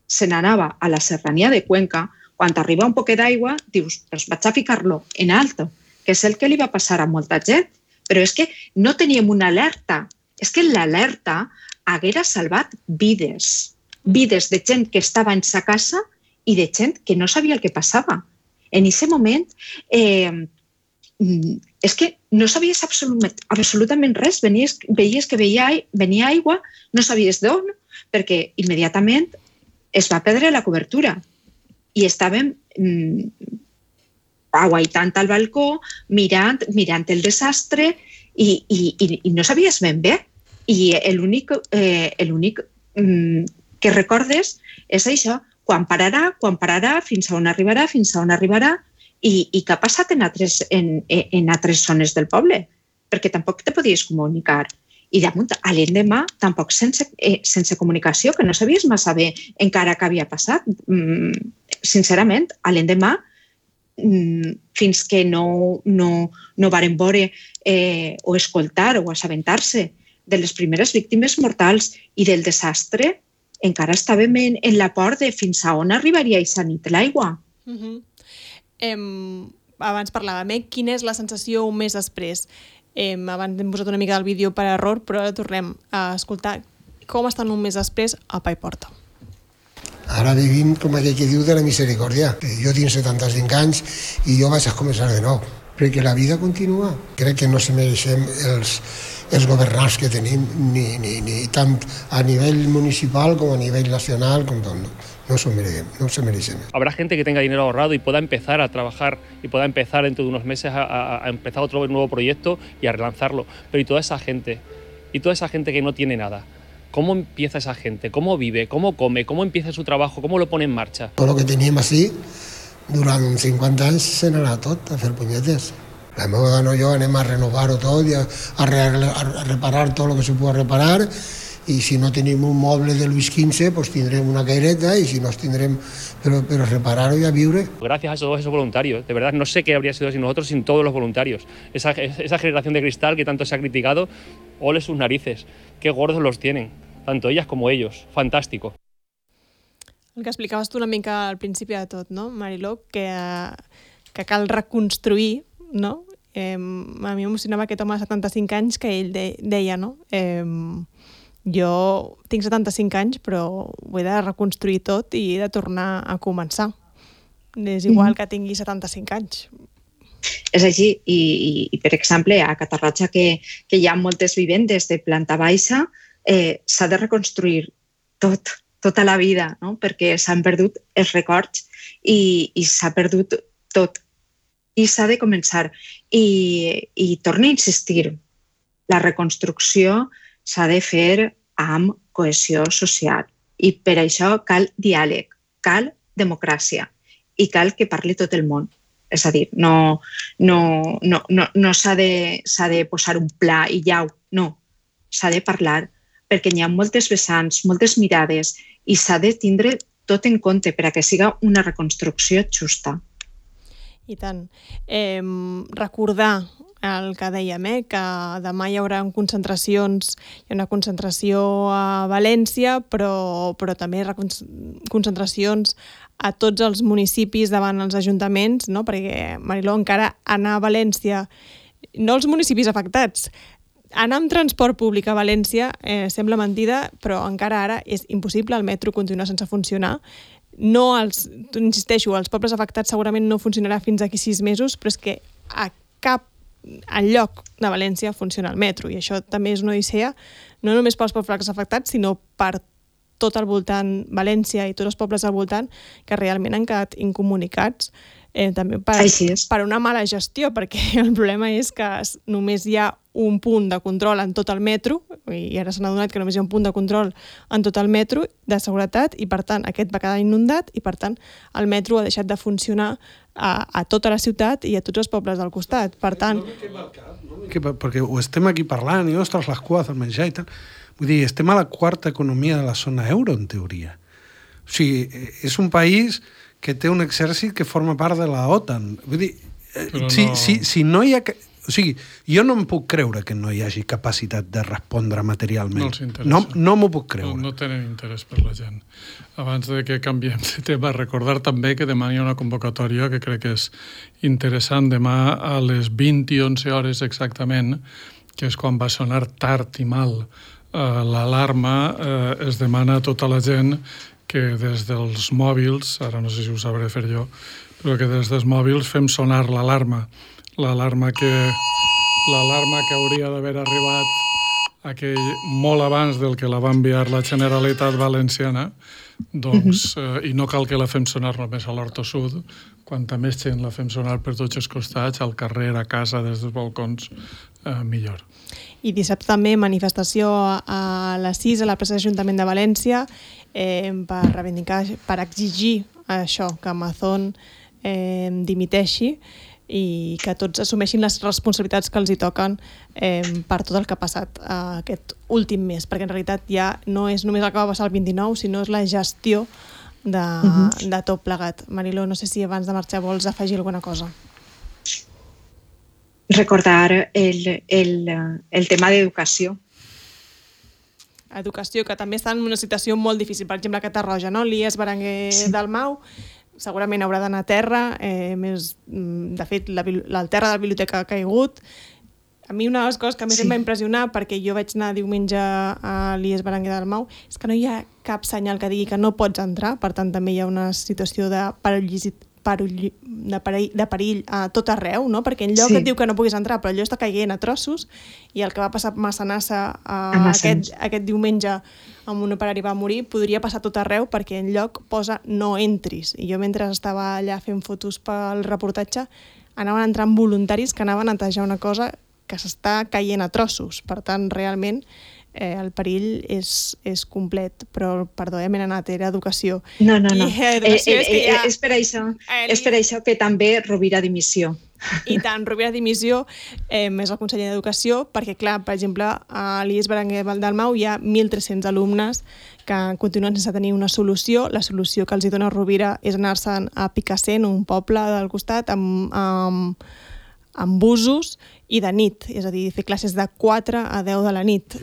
se n'anava a la serrania de Cuenca, quan arriba un poquet d'aigua, dius, doncs vaig a ficar-lo en alto, que és el que li va passar a molta gent. Però és que no teníem una alerta. És que l'alerta haguera salvat vides de gent que estava en sa casa i de gent que no sabia el que passava. En aquest moment és que no sabies absolutament res. Veies que venia aigua, no sabies d'on, perquè immediatament es va perdre la cobertura. I estàvem aguaitant al balcó, mirant el desastre i no sabies ben bé. I l'únic que recordes és això, quan pararà, fins a on arribarà, i què ha passat en altres zones del poble, perquè tampoc te podies comunicar. I damunt, a l'endemà, tampoc sense comunicació, que no sabies massa bé encara què havia passat. Sincerament, a l'endemà, fins que no varen veure o escoltar o assabentar-se de les primeres víctimes mortals i del desastre, encara estàvem en la por de fins a on arribaria aquesta nit l'aigua. Abans parlàvem, quina és la sensació un mes després? Abans hem posat una mica del vídeo per error, però ara tornem a escoltar com estan un mes després a Pa i Porta. Ara vivim, com aquell que diu, de la misericòrdia. Jo tinc 75 anys i jo vaig a començar de nou, perquè la vida continua. Crec que no se mereixem els governants que tenim, ni tant a nivell municipal com a nivell nacional, com tot. No se merecen. Habrá gente que tenga dinero ahorrado y pueda empezar a trabajar y pueda empezar dentro de unos meses a empezar otro nuevo proyecto y a relanzarlo. Pero ¿y toda esa gente que no tiene nada? ¿Cómo empieza esa gente? ¿Cómo vive? ¿Cómo come? ¿Cómo empieza su trabajo? ¿Cómo lo pone en marcha? Tot el que teníem així, durant 50 anys se n'anà tot a fer punyetes. La meva dona i jo anem a renovar-ho tot i a reparar tot el que se pugui reparar, i si no tenim un moble de Luis XV, pues tindrem una caireta, i si no tindrem, però reparar-ho i a viure. Gracias a todos esos voluntarios, de verdad, no sé qué habría sido sin nosotros, sin todos los voluntarios. Esa generación de cristal que tanto se ha criticado, ole sus narices, qué gordos los tienen, tanto ellas como ellos, fantástico. El que explicaves tu una mica al principi de tot, no, Mariló, que cal reconstruir, no? A mi m'emocionava aquest home de 75 anys que ell deia, no? Jo tinc 75 anys, però ho he de reconstruir tot i he de tornar a començar. És igual que tingui 75 anys. És així, i per exemple, a Catarroja, que hi ha moltes vivendes de planta baixa, s'ha de reconstruir tota la vida, no? Perquè s'han perdut els records i s'ha perdut tot. I s'ha de començar. I torno a insistir, la reconstrucció s'ha de fer amb cohesió social. I per això cal diàleg, cal democràcia i cal que parli tot el món. És a dir, no s'ha de posar un pla i llau, no. S'ha de parlar perquè hi ha moltes vessants, moltes mirades i s'ha de tindre tot en compte per a que siga una reconstrucció justa. I tant. Recordar el que dèiem, que demà hi haurà concentracions, hi ha una concentració a València, però també concentracions a tots els municipis davant els ajuntaments, no? Perquè, Mariló, encara anar a València, no els municipis afectats, anar amb transport públic a València sembla mentida, però encara ara és impossible, el metro continua sense funcionar. No insisteixo, els pobles afectats segurament no funcionarà fins d'aquí 6 mesos, però és que a cap enlloc de València funciona el metro, i això també és una odissea, no només pels pobles afectats, sinó per tot al voltant, València i tots els pobles al voltant, que realment han quedat incomunicats, també per una mala gestió, perquè el problema és que només hi ha un punt de control en tot el metro, i ara s'han adonat que només hi ha un punt de control en tot el metro de seguretat, i per tant aquest va quedar inundat, i per tant el metro ha deixat de funcionar a tota la ciutat i a tots els pobles del costat. Per tant... Perquè ho estem aquí parlant, i ostres, les cues del menjar i tal. Vull dir, estem a la quarta economia de la zona euro, en teoria. O sigui, és un país que té un exèrcit que forma part de la OTAN. Vull dir, si no hi ha... O sigui, jo no em puc creure que no hi hagi capacitat de respondre materialment. No els interessa. No m'ho puc creure. No tenen interès per la gent. Abans de que canviem de tema, recordar també que demà hi ha una convocatòria que crec que és interessant. Demà a les 20 i 11 hores exactament, que és quan va sonar tard i mal l'alarma, es demana a tota la gent que des dels mòbils, ara no sé si ho sabré fer jo, però que des dels mòbils fem sonar l'alarma. L'alarma que hauria d'haver arribat molt abans del que la va enviar la Generalitat Valenciana, doncs, i no cal que la fem sonar només a l'Horta Sud, quanta més gent la fem sonar per tots els costats, al carrer, a casa, des dels balcons, millor. I dissabte també manifestació a les 6 a la plaça d'Ajuntament de València per reivindicar, per exigir això, que Amazon dimiteixi i que tots assumeixin les responsabilitats que els hi toquen per tot el que ha passat aquest últim mes, perquè en realitat ja no és només el que va passar el 29, sinó és la gestió de tot plegat. Mariló, no sé si abans de marxar vols afegir alguna cosa. Recordar el tema d'educació. Educació, que també està en una situació molt difícil. Per exemple, a Catarroja, no? L'IES Berenguer Dalmau segurament haurà d'anar a terra. De fet, el terra de la biblioteca ha caigut. A mi una de les coses que més em va impressionar, perquè jo vaig anar diumenge a l'IES Berenguer Dalmau, és que no hi ha cap senyal que digui que no pots entrar. Per tant, també hi ha una situació de perill a tot arreu, no? Perquè enlloc et diu que no puguis entrar, però allò està caient a trossos, i el que va passar a Massanassa aquest diumenge amb un operari va morir, podria passar a tot arreu, perquè enlloc posa no entris. I jo mentre estava allà fent fotos pel reportatge anaven entrant voluntaris que anaven a netejar una cosa que s'està caient a trossos. Per tant, realment el perill és complet, però perdó, m'he anat, era educació. No. És per això que també Rovira dimissió. I tant, Rovira dimissió és el conseller d'Educació, perquè clar, per exemple, a l'IES Berenguer Dalmau hi ha 1.300 alumnes que continuen sense tenir una solució. La solució que els dona Rovira és anar-se'n a Picassent, un poble del costat, amb busos i de nit, és a dir, fer classes de 4 a 10 de la nit.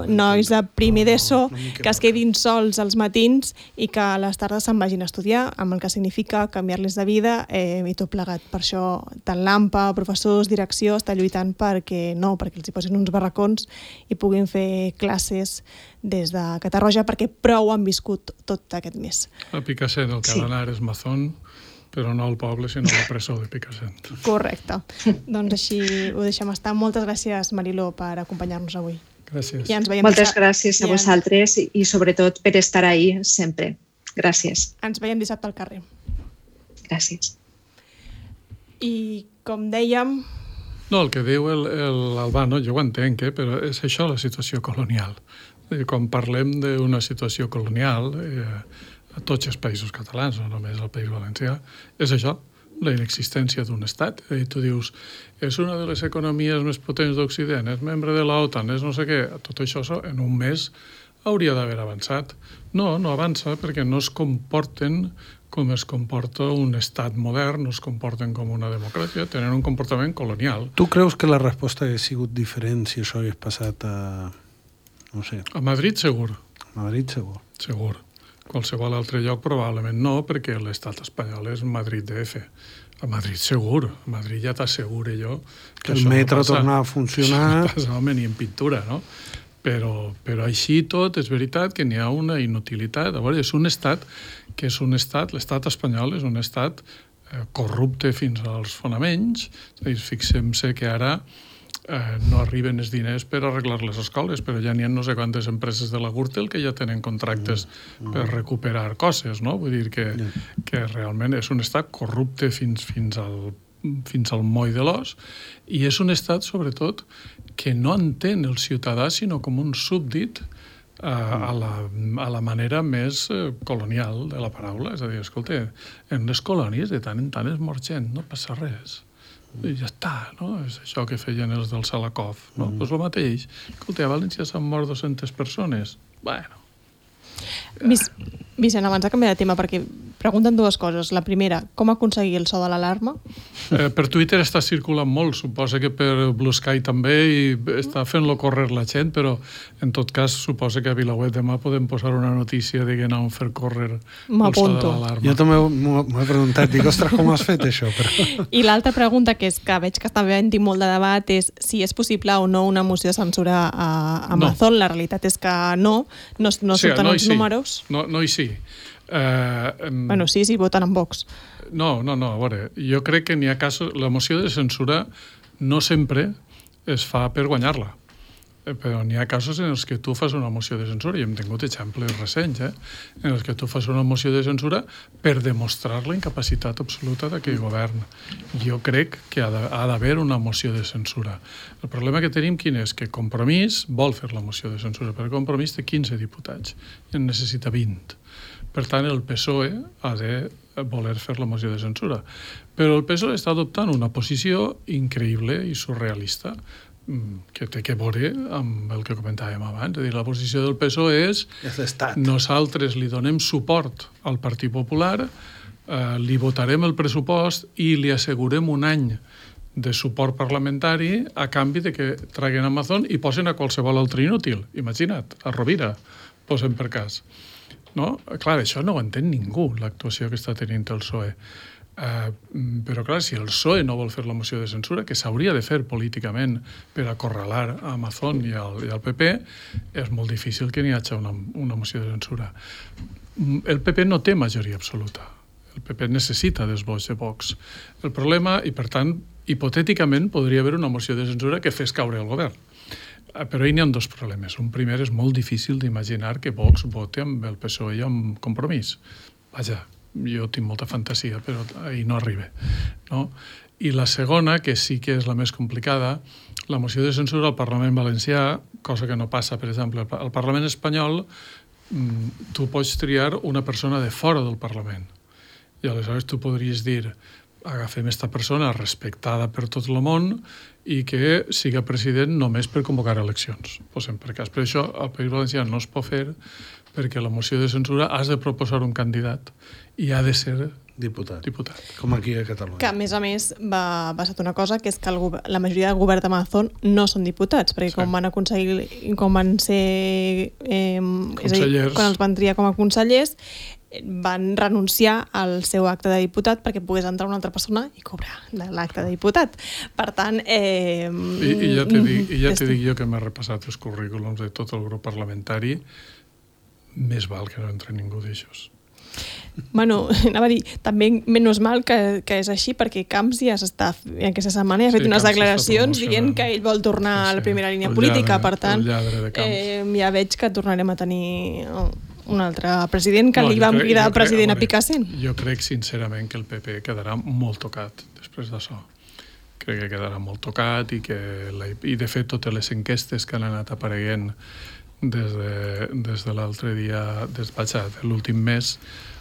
Nois de primer d'ESO que es quedin sols als matins i que a les tardes se'n vagin a estudiar, amb el que significa canviar-les de vida i tot plegat. Per això tant l'AMPA, professors, direcció, està lluitant perquè els hi posin uns barracons i puguin fer classes des de Catarroja, perquè prou han viscut tot aquest mes. A Picassent el que ha d'anar és Mazón, però no al poble, sinó a la presó de Picassent. Correcte. Doncs així ho deixem estar. Moltes gràcies, Mariló, per acompanyar-nos avui. Gràcies. I ens veiem Moltes gràcies a vosaltres i sobretot per estar ahí sempre. Gràcies. Ens veiem dissabte al carrer. Gràcies. I com dèiem... No, el que diu l'Albano, jo ho entenc, però és això la situació colonial. Quan parlem d'una situació colonial, a tots els països catalans, no només al País Valencià, és això, la inexistència d'un estat. I tu dius, és una de les economies més potents d'Occident, és membre de l'OTAN, és no sé què. Tot això en un mes hauria d'haver avançat. No avança perquè no es comporten com es comporta un estat modern, no es comporten com una democràcia, tenen un comportament colonial. Tu creus que la resposta hauria sigut diferent si això hagués passat a... no sé... A Madrid, segur. A Madrid, segur. Segur. Qualsevol altre lloc probablement no, perquè l'estat espanyol és Madrid DF. A Madrid segur. A Madrid ja t'asseguro jo que el metro torna a funcionar. Això no passa, home, ni en pintura, no? Però així tot és veritat que n'hi ha una inutilitat. A veure, és un estat que és un estat, l'estat espanyol és un estat corrupte fins als fonaments. Fixem-se que ara no arriben els diners per arreglar les escoles, però ja n'hi ha no sé quantes empreses de la Gürtel que ja tenen contractes per recuperar coses, no? Vull dir que realment és un estat corrupte fins al moll de l'os, i és un estat, sobretot, que no entén el ciutadà sinó com un súbdit a la manera més colonial de la paraula. És a dir, escolta, en les colònies de tant en tant es mor gent, no passa res. I ja està, no? És això que feien els del Salakov, no? Doncs el mateix. Escolta, a València s'han mort 200 persones. Bueno. Vicent, abans de canviar de tema, perquè pregunten dues coses. La primera, com aconseguir el so de l'alarma? Per Twitter està circulant molt, suposa que per Blue Sky també, i està fent-lo córrer la gent, però en tot cas suposa que a VilaWeb demà podem posar una notícia de que anàvem a fer córrer el so de l'alarma. Jo també m'ho he preguntat, dic, ostres, com has fet això? Però... I l'altra pregunta, que és que veig que està havent-hi molt de debat, és si és possible o no una moció de censura a Amazon. No. La realitat és que no surten els números. No i sí. Bueno, sí, voten en Vox. No, a veure, jo crec que n'hi ha casos... La moció de censura no sempre es fa per guanyar-la, però n'hi ha casos en els que tu fas una moció de censura, i hem tingut exemples recents, en els que tu fas una moció de censura per demostrar la incapacitat absoluta d'aquell govern. Jo crec que ha d'haver una moció de censura. El problema que tenim quin és? Que Compromís vol fer la moció de censura, però Compromís té 15 diputats i en necessita 20. Per tant, el PSOE ha de voler fer la moció de censura. Però el PSOE està adoptant una posició increïble i surrealista, que té que veure amb el que comentàvem abans. És a dir, la posició del PSOE és nosaltres li donem suport al Partit Popular, li votarem el pressupost i li assegurem un any de suport parlamentari a canvi de que traguen Amazon i posen a qualsevol altre inútil. Imagina't, a Rovira, posen per cas. No? Clar, això no ho entén ningú, l'actuació que està tenint el PSOE. Però clar, si el PSOE no vol fer la moció de censura, que s'hauria de fer políticament per acorralar a Amazon i al PP, és molt difícil que n'hi hagi una moció de censura. El PP no té majoria absoluta. El PP necessita dels vots de Vox. El problema, i per tant, hipotèticament podria haver una moció de censura que fes caure el govern. Però hi ha dos problemes. Un primer, és molt difícil d'imaginar que Vox vote amb el PSOE i amb Compromís. Vaja, jo tinc molta fantasia, però ahir no arriba. No? I la segona, que sí que és la més complicada, la moció de censura al Parlament Valencià, cosa que no passa, per exemple, al Parlament espanyol, tu pots triar una persona de fora del Parlament. I aleshores tu podries dir, agafem esta persona respectada per tot el món i que siga president només per convocar eleccions. Posem per cas. Per això al País Valencià no es pot fer, perquè la moció de censura has de proposar un candidat i ha de ser diputat. Com aquí a Catalunya. Que, a més, va passar una cosa, que és que la majoria del govern d'Amazon no són diputats, perquè quan van ser consellers, quan els van triar com a consellers, van renunciar al seu acte de diputat perquè pogués entrar una altra persona i cobrar l'acte de diputat. Per tant... I ja t'he dit jo que m'he repassat els currículums de tot el grup parlamentari, més val que no entre ningú d'aixòs. Bueno, anava a dir, també menys mal que és així, perquè Camps ja s'està, aquesta setmana ja ha fet unes declaracions dient que ell vol tornar a la primera línia política, per tant, ja veig que tornarem a tenir un altre president que li vam cridar president a Picassent. Jo crec sincerament que el PP quedarà molt tocat després d'això. Crec que quedarà molt tocat i de fet totes les enquestes que han anat apareguent des de l'altre dia, de l'últim mes,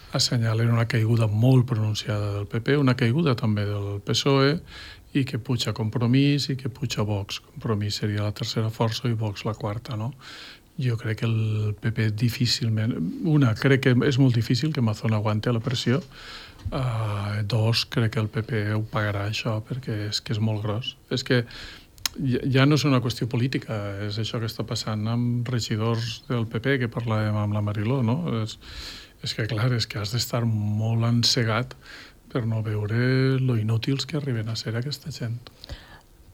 assenyalen una caiguda molt pronunciada del PP, una caiguda també del PSOE, i que puja Compromís i que puja Vox. Compromís seria la tercera força i Vox la quarta, no? Jo crec que el PP difícilment... crec que és molt difícil que Mazón aguante la pressió. Dos, crec que el PP ho pagarà això, perquè és que és molt gros. És que ja no és una qüestió política, és això que està passant amb regidors del PP, que parlàvem amb la Mariló, no? És que, clar, és que has d'estar molt encegat per no veure lo inútils que arriben a ser aquesta gent.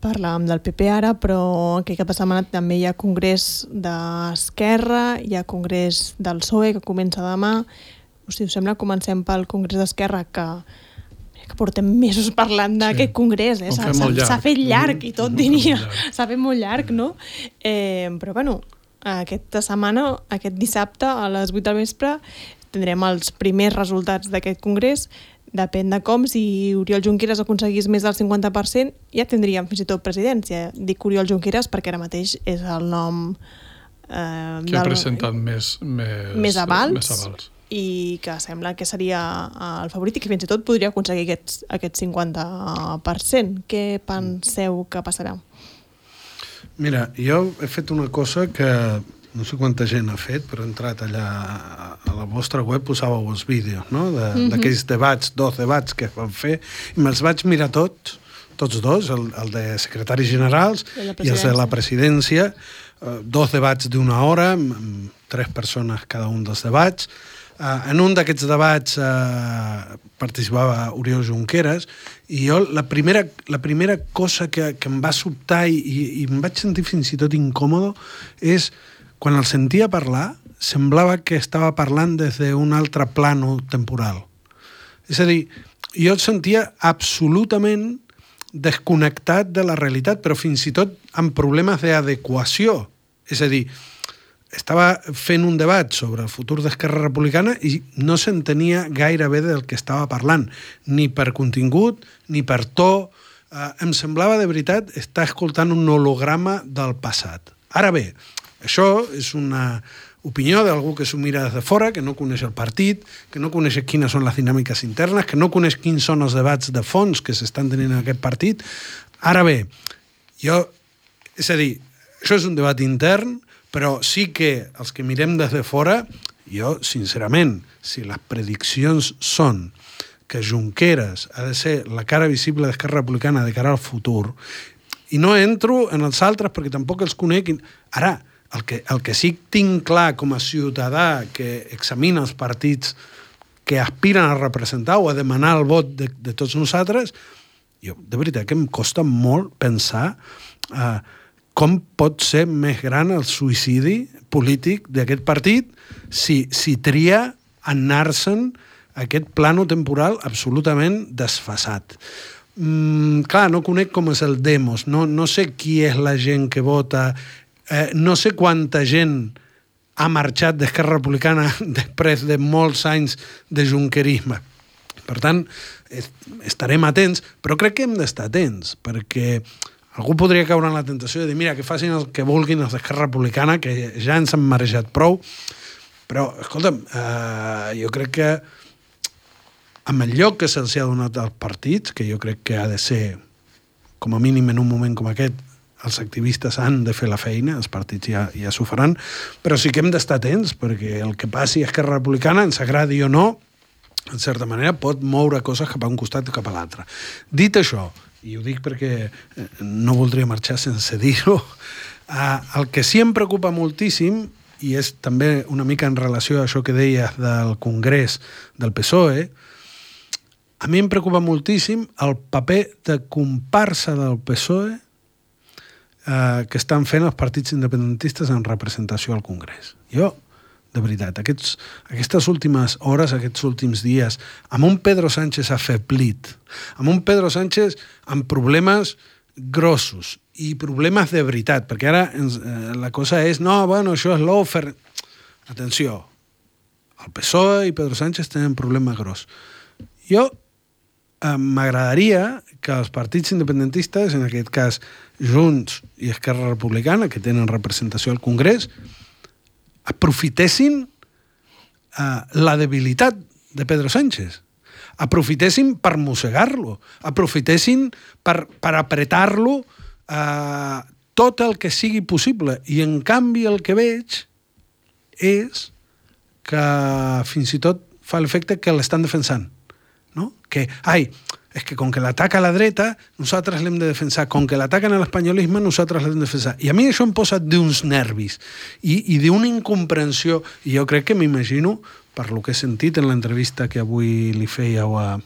Parlàvem del PP ara, però aquest cap de setmana també hi ha congrés d'Esquerra, hi ha congrés del PSOE, que comença demà. Si us sembla, comencem pel congrés d'Esquerra, que portem mesos parlant d'aquest congrés. S'ha fet llarg i tot, diria. S'ha fet molt llarg, no? Però, bueno, aquesta setmana, aquest dissabte, a les 8 del vespre, tindrem els primers resultats d'aquest congrés. Depèn de com, si Oriol Junqueras aconseguís més del 50%, ja tindríem fins i tot presidència. Dic Oriol Junqueras perquè ara mateix és el nom que ha presentat més avals i que sembla que seria el favorit i que fins i tot podria aconseguir aquest 50%. Què penseu que passarà? Mira, jo he fet una cosa que no sé quanta gent ha fet, però he entrat allà a la vostra web, posàveu els vídeos, no? D'aquells debats, 2 debats que van fer, i me'ls vaig mirar tots dos, el de secretaris generals i els de la presidència, 2 debats d'1 hora, amb 3 persones cada un dels debats. En un d'aquests debats participava Oriol Junqueras, i jo la primera cosa que em va sobtar i em vaig sentir fins i tot incòmodo és quan el sentia parlar, semblava que estava parlant des d'un altre plano temporal. És a dir, jo el sentia absolutament desconnectat de la realitat, però fins i tot amb problemes d'adequació. És a dir, estava fent un debat sobre el futur d'Esquerra Republicana i no s'entenia gaire bé del que estava parlant, ni per contingut, ni per to. Em semblava, de veritat, estar escoltant un holograma del passat. Ara bé, això és una opinió d'algú que s'ho mira des de fora, que no coneix el partit, que no coneix quines són les dinàmiques internes, que no coneix quins són els debats de fons que s'estan tenint en aquest partit. Ara bé, és a dir, això és un debat intern, però sí que els que mirem des de fora, jo, sincerament, si les prediccions són que Junqueras ha de ser la cara visible d'Esquerra Republicana de cara al futur, i no entro en els altres perquè tampoc els conec. Ara, el que sí tinc clar com a ciutadà que examina els partits que aspiren a representar o a demanar el vot de tots nosaltres, jo de veritat que em costa molt pensar com pot ser més gran el suïcidi polític d'aquest partit si tria anar-se'n a aquest plano temporal absolutament desfasat. Clar, no conec com és el demos, no sé qui és la gent que vota, no sé quanta gent ha marxat d'Esquerra Republicana després de molts anys de junquerisme. Per tant, estarem atents, però crec que hem d'estar atents, perquè algú podria caure en la tentació de dir, mira, que facin el que vulguin els d'Esquerra Republicana, que ja ens han marejat prou, però, escolta'm, jo crec que amb el lloc que se'ls ha donat als partits, que jo crec que ha de ser, com a mínim en un moment com aquest, els activistes han de fer la feina, els partits ja s'ho faran, però sí que hem d'estar atents, perquè el que passi a Esquerra Republicana, ens agradi o no, en certa manera pot moure coses cap a un costat o cap a l'altre. Dit això, i ho dic perquè no voldria marxar sense dir-ho, el que sí em preocupa moltíssim, i és també una mica en relació a això que deies del Congrés del PSOE, a mi em preocupa moltíssim el paper de comparsa del PSOE que estan fent els partits independentistes en representació al Congrés. Jo, de veritat, aquestes últimes hores, aquests últims dies, amb un Pedro Sánchez afeblit, amb un Pedro Sánchez amb problemes grossos i problemes de veritat, perquè ara la cosa és, no, bueno, això és l'ofer... Atenció, el PSOE i Pedro Sánchez tenen problemes gros. Jo m'agradaria que els partits independentistes, en aquest cas Junts i Esquerra Republicana, que tenen representació al Congrés, aprofitessin la debilitat de Pedro Sánchez, aprofitessin per mossegar-lo, aprofitessin per apretar-lo tot el que sigui possible. I en canvi el que veig és que fins i tot fa l'efecte que l'estan defensant, no? Que, és que com que l'ataca a la dreta, nosaltres l'hem de defensar. Com que l'ataquen a l'espanyolisme, nosaltres l'hem de defensar. I a mi això em posa d'uns nervis i d'una incomprensió. I jo crec que m'imagino, per lo que he sentit en l'entrevista que avui li fèieu a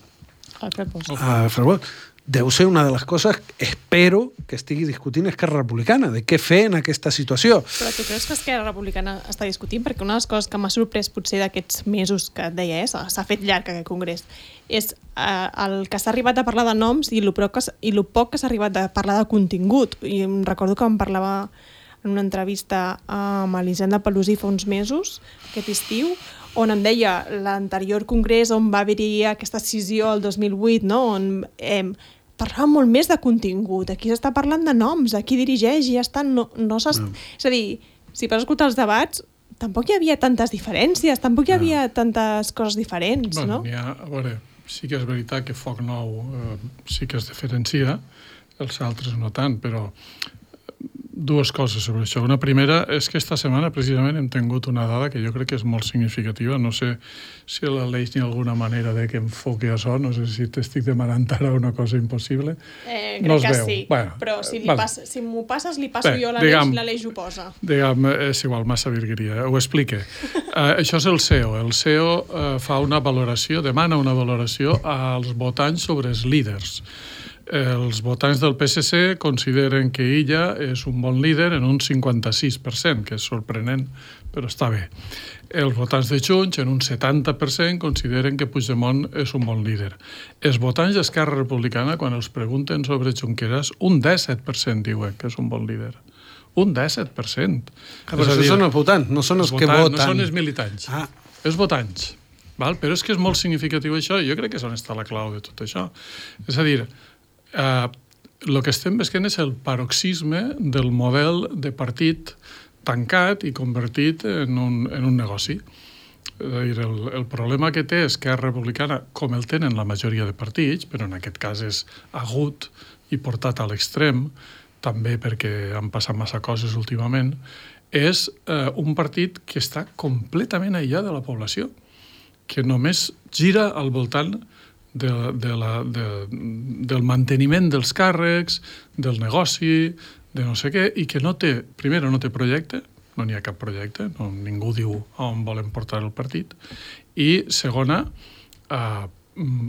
Ferbost, deu ser una de les coses, espero, que estigui discutint Esquerra Republicana, de què fer en aquesta situació. Però tu creus que Esquerra Republicana està discutint? Perquè una de les coses que m'ha sorprès potser d'aquests mesos que et deia, s'ha fet llarg aquest congrés, és el que s'ha arribat a parlar de noms i el poc que s'ha arribat a parlar de contingut. I em recordo que em parlava en una entrevista amb Elisenda Pelusi fa uns mesos, aquest estiu, on em deia l'anterior congrés on va haver-hi aquesta decisió el 2008, no? On parlava molt més de contingut. Aquí s'està parlant de noms, a qui dirigeix i ja està. És a dir, si vas escoltar els debats, tampoc hi havia tantes diferències, tampoc hi havia tantes coses diferents, no? A veure, sí que és veritat que Foc Nou sí que es diferencia, els altres no tant, però dues coses sobre això. Una primera és que esta setmana precisament hem tingut una dada que jo crec que és molt significativa. No sé si l'Aleix n'hi ha alguna manera de que enfoqui això, no sé si t'estic demanant ara una cosa impossible. Crec que sí, però si m'ho passes, li passo jo a l'Aleix ho posa. Digue'm, és igual, massa virgueria, ho explique. Això és el CEO. El CEO fa una valoració, demana una valoració als votants sobre els líders. Els votants del PSC consideren que ella és un bon líder en un 56%, que és sorprenent, però està bé. Els votants de Junts, en un 70%, consideren que Puigdemont és un bon líder. Els votants d'Esquerra Republicana, quan els pregunten sobre Junqueras, un 17% diuen que és un bon líder. Un 17%. Però això són els votants, no són els que voten. No són els militants, els votants. Però és que és molt significatiu això, i jo crec que és on està la clau de tot això. És a dir, el que estem veient és el paroxisme del model de partit tancat i convertit en un negoci. És a dir, el problema que té Esquerra Republicana, com el tenen la majoria de partits, però en aquest cas és agut i portat a l'extrem, també perquè han passat massa coses últimament, és un partit que està completament aïllat de la població, que només gira al voltant del manteniment dels càrrecs, del negoci, de no sé què, i que no té projecte, no n'hi ha cap projecte, ningú diu on volen portar el partit, i segona,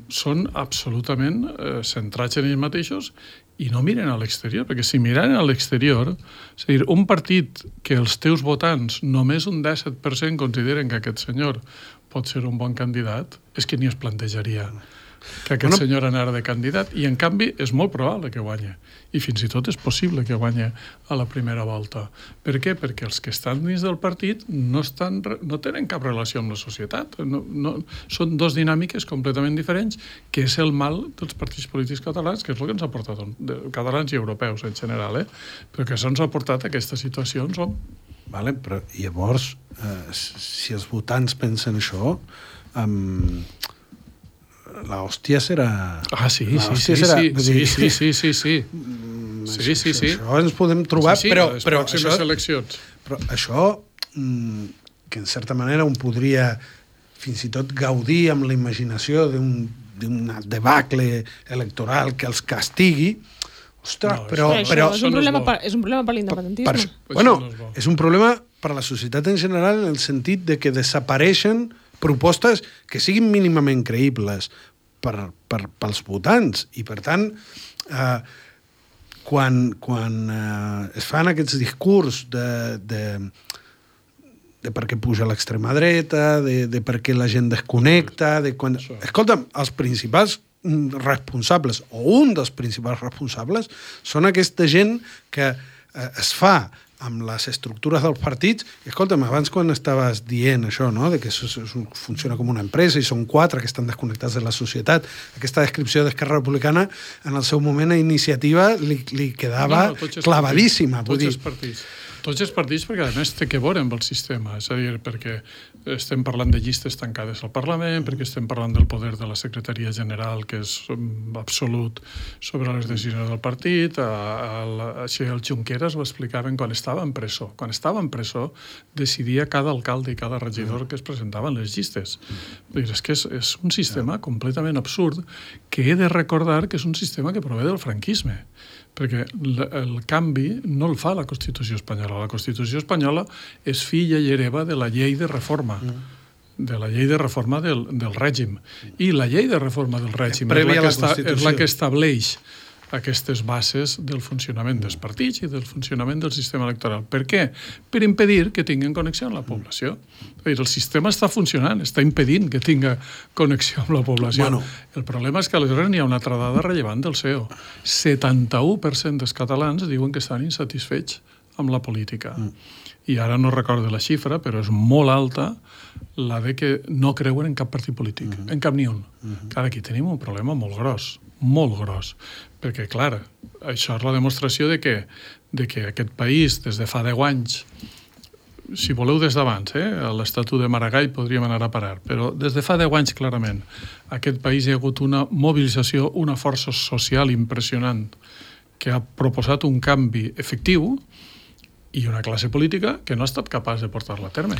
són absolutament centrats en ells mateixos i no miren a l'exterior, perquè si miren a l'exterior, és a dir, un partit que els teus votants, només un 17% consideren que aquest senyor pot ser un bon candidat, és que ni es plantejaria que aquest senyor anara de candidat, i en canvi és molt probable que guanyi, i fins i tot és possible que guanyi a la primera volta. Per què? Perquè els que estan dins del partit no tenen cap relació amb la societat. Són dos dinàmiques completament diferents, que és el mal dels partits polítics catalans, que és el que ens ha portat, catalans i europeus en general, però que ens ha portat a aquesta situació on som. Vale, però llavors, si els votants pensen això, l'hòstia serà... Sí. Això ens podem trobar, però les pròximes eleccions. Però això, que en certa manera un podria fins i tot gaudir amb la imaginació d'un debacle electoral que els castigui, ostres, però és un problema per l'independentisme. És un problema per a la societat en general, en el sentit de que desapareixen propostes que siguin mínimament creïbles pels votants, i per tant quan es fan aquests discurs de per què puja l'extrema dreta, de per què la gent desconnecta, Escolta'm, els principals responsables, o un dels principals responsables, són aquesta gent que es fa amb les estructures dels partits. I escolta'm, abans quan estaves dient això, no?, de que funciona com una empresa i són 4 que estan desconnectats de la societat, aquesta descripció d'Esquerra Republicana en el seu moment a Iniciativa li quedava clavadíssima. Tots els partits, perquè a més té que veure amb el sistema, és a dir, perquè estem parlant de llistes tancades al Parlament, perquè estem parlant del poder de la Secretaria General, que és absolut sobre les decisions del partit. Així el Junqueras ho explicaven quan estava en presó. Quan estava en presó decidia cada alcalde i cada regidor que es presentaven les llistes. És que és un sistema completament absurd que he de recordar que és un sistema que prové del franquisme, perquè el canvi no el fa la Constitució espanyola. La Constitució espanyola és filla i hereva de la llei de reforma, de la llei de reforma del règim. I la llei de reforma del règim és la que estableix aquestes bases del funcionament dels partits i del funcionament del sistema electoral. Per què? Per impedir que tinguin connexió amb la població. El sistema està funcionant, està impedint que tinga connexió amb la població. El problema és que aleshores n'hi ha una altra dada rellevant del CEO. 71% dels catalans diuen que estan insatisfets amb la política. I ara no recordo la xifra, però és molt alta la de que no creuen en cap partit polític, en cap ni un. Clar, aquí tenim un problema molt gros, perquè, clar, això és la demostració de que aquest país, des de fa 10 anys, si voleu des d'abans, a l'Estatut de Maragall podríem anar a parar, però des de fa 10 anys, clarament, aquest país hi ha hagut una mobilització, una força social impressionant, que ha proposat un canvi efectiu i una classe política que no ha estat capaç de portar-la a terme.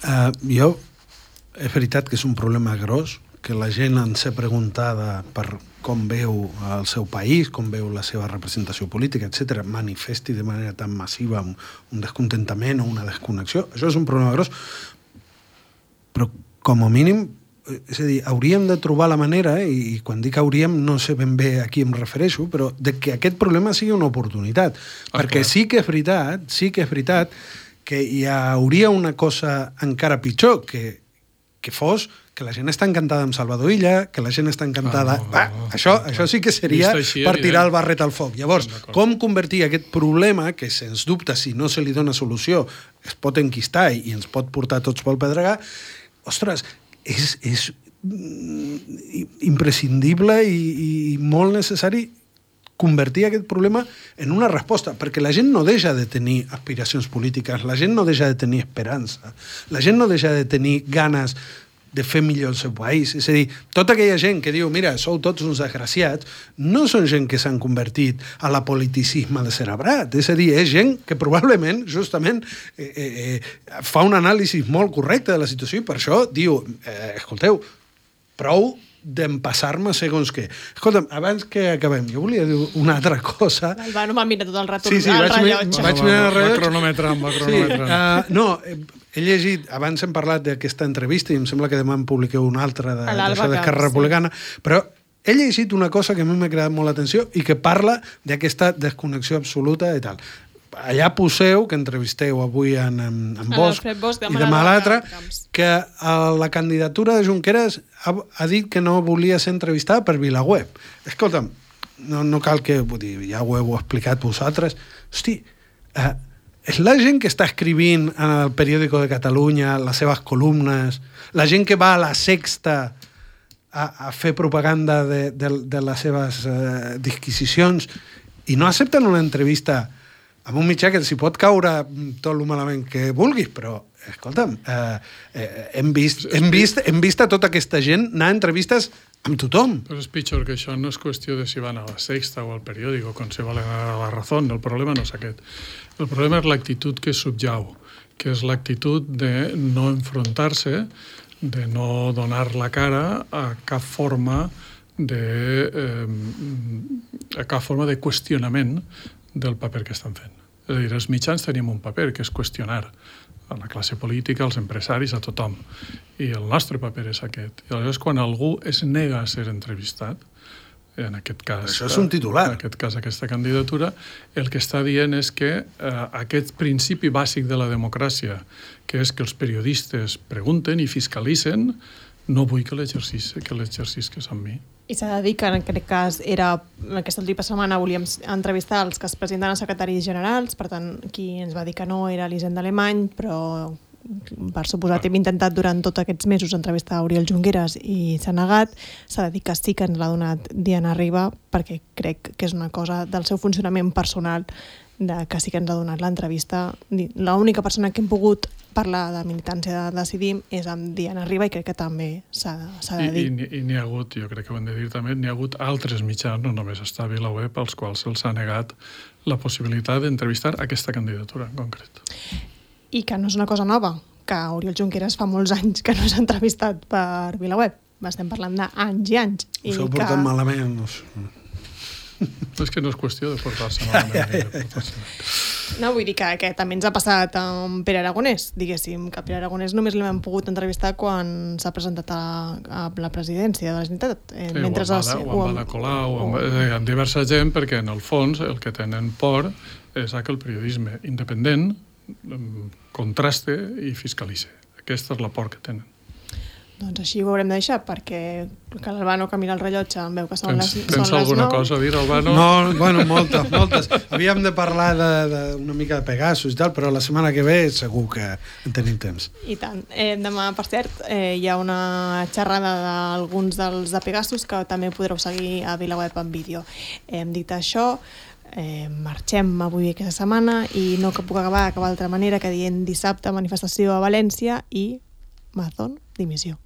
És veritat que és un problema gros, que la gent ens ha preguntada per com veu el seu país, com veu la seva representació política, etc., manifesti de manera tan massiva un descontentament o una desconnexió. Això és un problema gros, però com a mínim, és a dir, hauríem de trobar la manera, i quan dic hauríem no sé ben bé a qui em refereixo, però de que aquest problema sigui una oportunitat. Perquè sí que és veritat que hi hauria una cosa encara pitjor, que fos que la gent està encantada amb Salvador Illa, que la gent està encantada... Això sí que seria per tirar el barret al foc. Llavors, com convertir aquest problema, que sens dubte, si no se li dona solució, es pot enquistar i ens pot portar tots pel pedregar, ostres, és imprescindible i molt necessari convertir aquest problema en una resposta, perquè la gent no deixa de tenir aspiracions polítiques, la gent no deixa de tenir esperança, la gent no deixa de tenir ganes de fer millor el seu país. És a dir, tota aquella gent que diu, mira, sou tots uns desgraciats, no són gent que s'han convertit a l'apoliticisme descerebrat. És a dir, és gent que probablement, justament, fa un anàlisi molt correcte de la situació i per això diu, escolteu, prou d'empassar-me segons què. Escolta'm, abans que acabem, jo volia dir una altra cosa. L'Albano m'ha mirat tot el rato al rellotge. Vaig mirar el rellotge. Va cronometrant. No, he llegit, abans hem parlat d'aquesta entrevista i em sembla que demà en publiqueu una altra d'Esquerra Republicana, però he llegit una cosa que a mi m'ha cridat molt l'atenció i que parla d'aquesta desconnexió absoluta i tal. Allà poseu, que entrevisteu avui en Bosch i demà l'altre, que la candidatura de Junqueras ha dit que no volia ser entrevistada per VilaWeb. Escolta'm, no cal que... ja ho heu explicat vosaltres. Hosti, és la gent que està escrivint en el Periódico de Catalunya les seves columnes, la gent que va a la Sexta a fer propaganda de les seves disquisicions i no accepten una entrevista amb un mitjà que s'hi pot caure tot el malament que vulguis, però, escolta'm, hem vist a tota aquesta gent anar a entrevistes amb tothom. Però és pitjor que això, no és qüestió de si van a la Sexta o al Periódico, com si volen anar a la Razón, el problema no és aquest. El problema és l'actitud que subjau, que és l'actitud de no enfrontar-se, de no donar la cara a cap forma de qüestionament del paper que estan fent. És a dir, els mitjans tenim un paper que és qüestionar a la classe política, als empresaris, a tothom. I el nostre paper és aquest. I aleshores, quan algú es nega a ser entrevistat, en aquest cas... Això és un titular. En aquest cas, aquesta candidatura, el que està dient és que aquest principi bàsic de la democràcia, que és que els periodistes pregunten i fiscalitzen, no vull que l'exercisques amb mi. I s'ha de dir que en aquest cas aquesta última setmana volíem entrevistar els que es presenten a secretaris generals, per tant, qui ens va dir que no era l'Hisenda Alemany, però per suposat hem intentat durant tots aquests mesos entrevistar a Oriol Junqueras i s'ha negat. S'ha de dir que sí que ens l'ha donat Diana Riba, perquè crec que és una cosa del seu funcionament personal, que sí que ens ha donat l'entrevista. L'única persona que hem pogut parlar de militància de Decidim és amb Diana Riba i crec que també s'ha de dir. I n'hi ha hagut, jo crec que ho hem de dir també, n'hi ha hagut altres mitjans, no només està VilaWeb, als quals se'ls ha negat la possibilitat d'entrevistar aquesta candidatura en concret. I que no és una cosa nova, que Oriol Junqueras fa molts anys que no s'ha entrevistat per VilaWeb. Estem parlant d'anys i anys. Us heu portat malament. És que no és qüestió de portar-se malament. No, vull dir que també ens ha passat amb Pere Aragonès, diguéssim, que Pere Aragonès només l'hem pogut entrevistar quan s'ha presentat a la presidència de la Generalitat. O amb Ada Colau, amb diversa gent, perquè en el fons el que tenen por és que el periodisme independent contraste i fiscalitze. Aquesta és la por que tenen. Doncs així ho haurem de deixar, perquè que l'Albano que mira el rellotge em veu que són les 9. Tens alguna cosa a dir, Albano? No, bueno, moltes. Havíem de parlar d'una mica de Pegasus i tal, però la setmana que ve segur que en tenim temps. I tant. Demà, per cert, hi ha una xerrada d'alguns dels de Pegasus que també podreu seguir a VilaWeb en vídeo. Hem dit això, marxem avui aquesta setmana i no que puc acabar d'altra manera que dient dissabte manifestació a València i Mazón dimissió.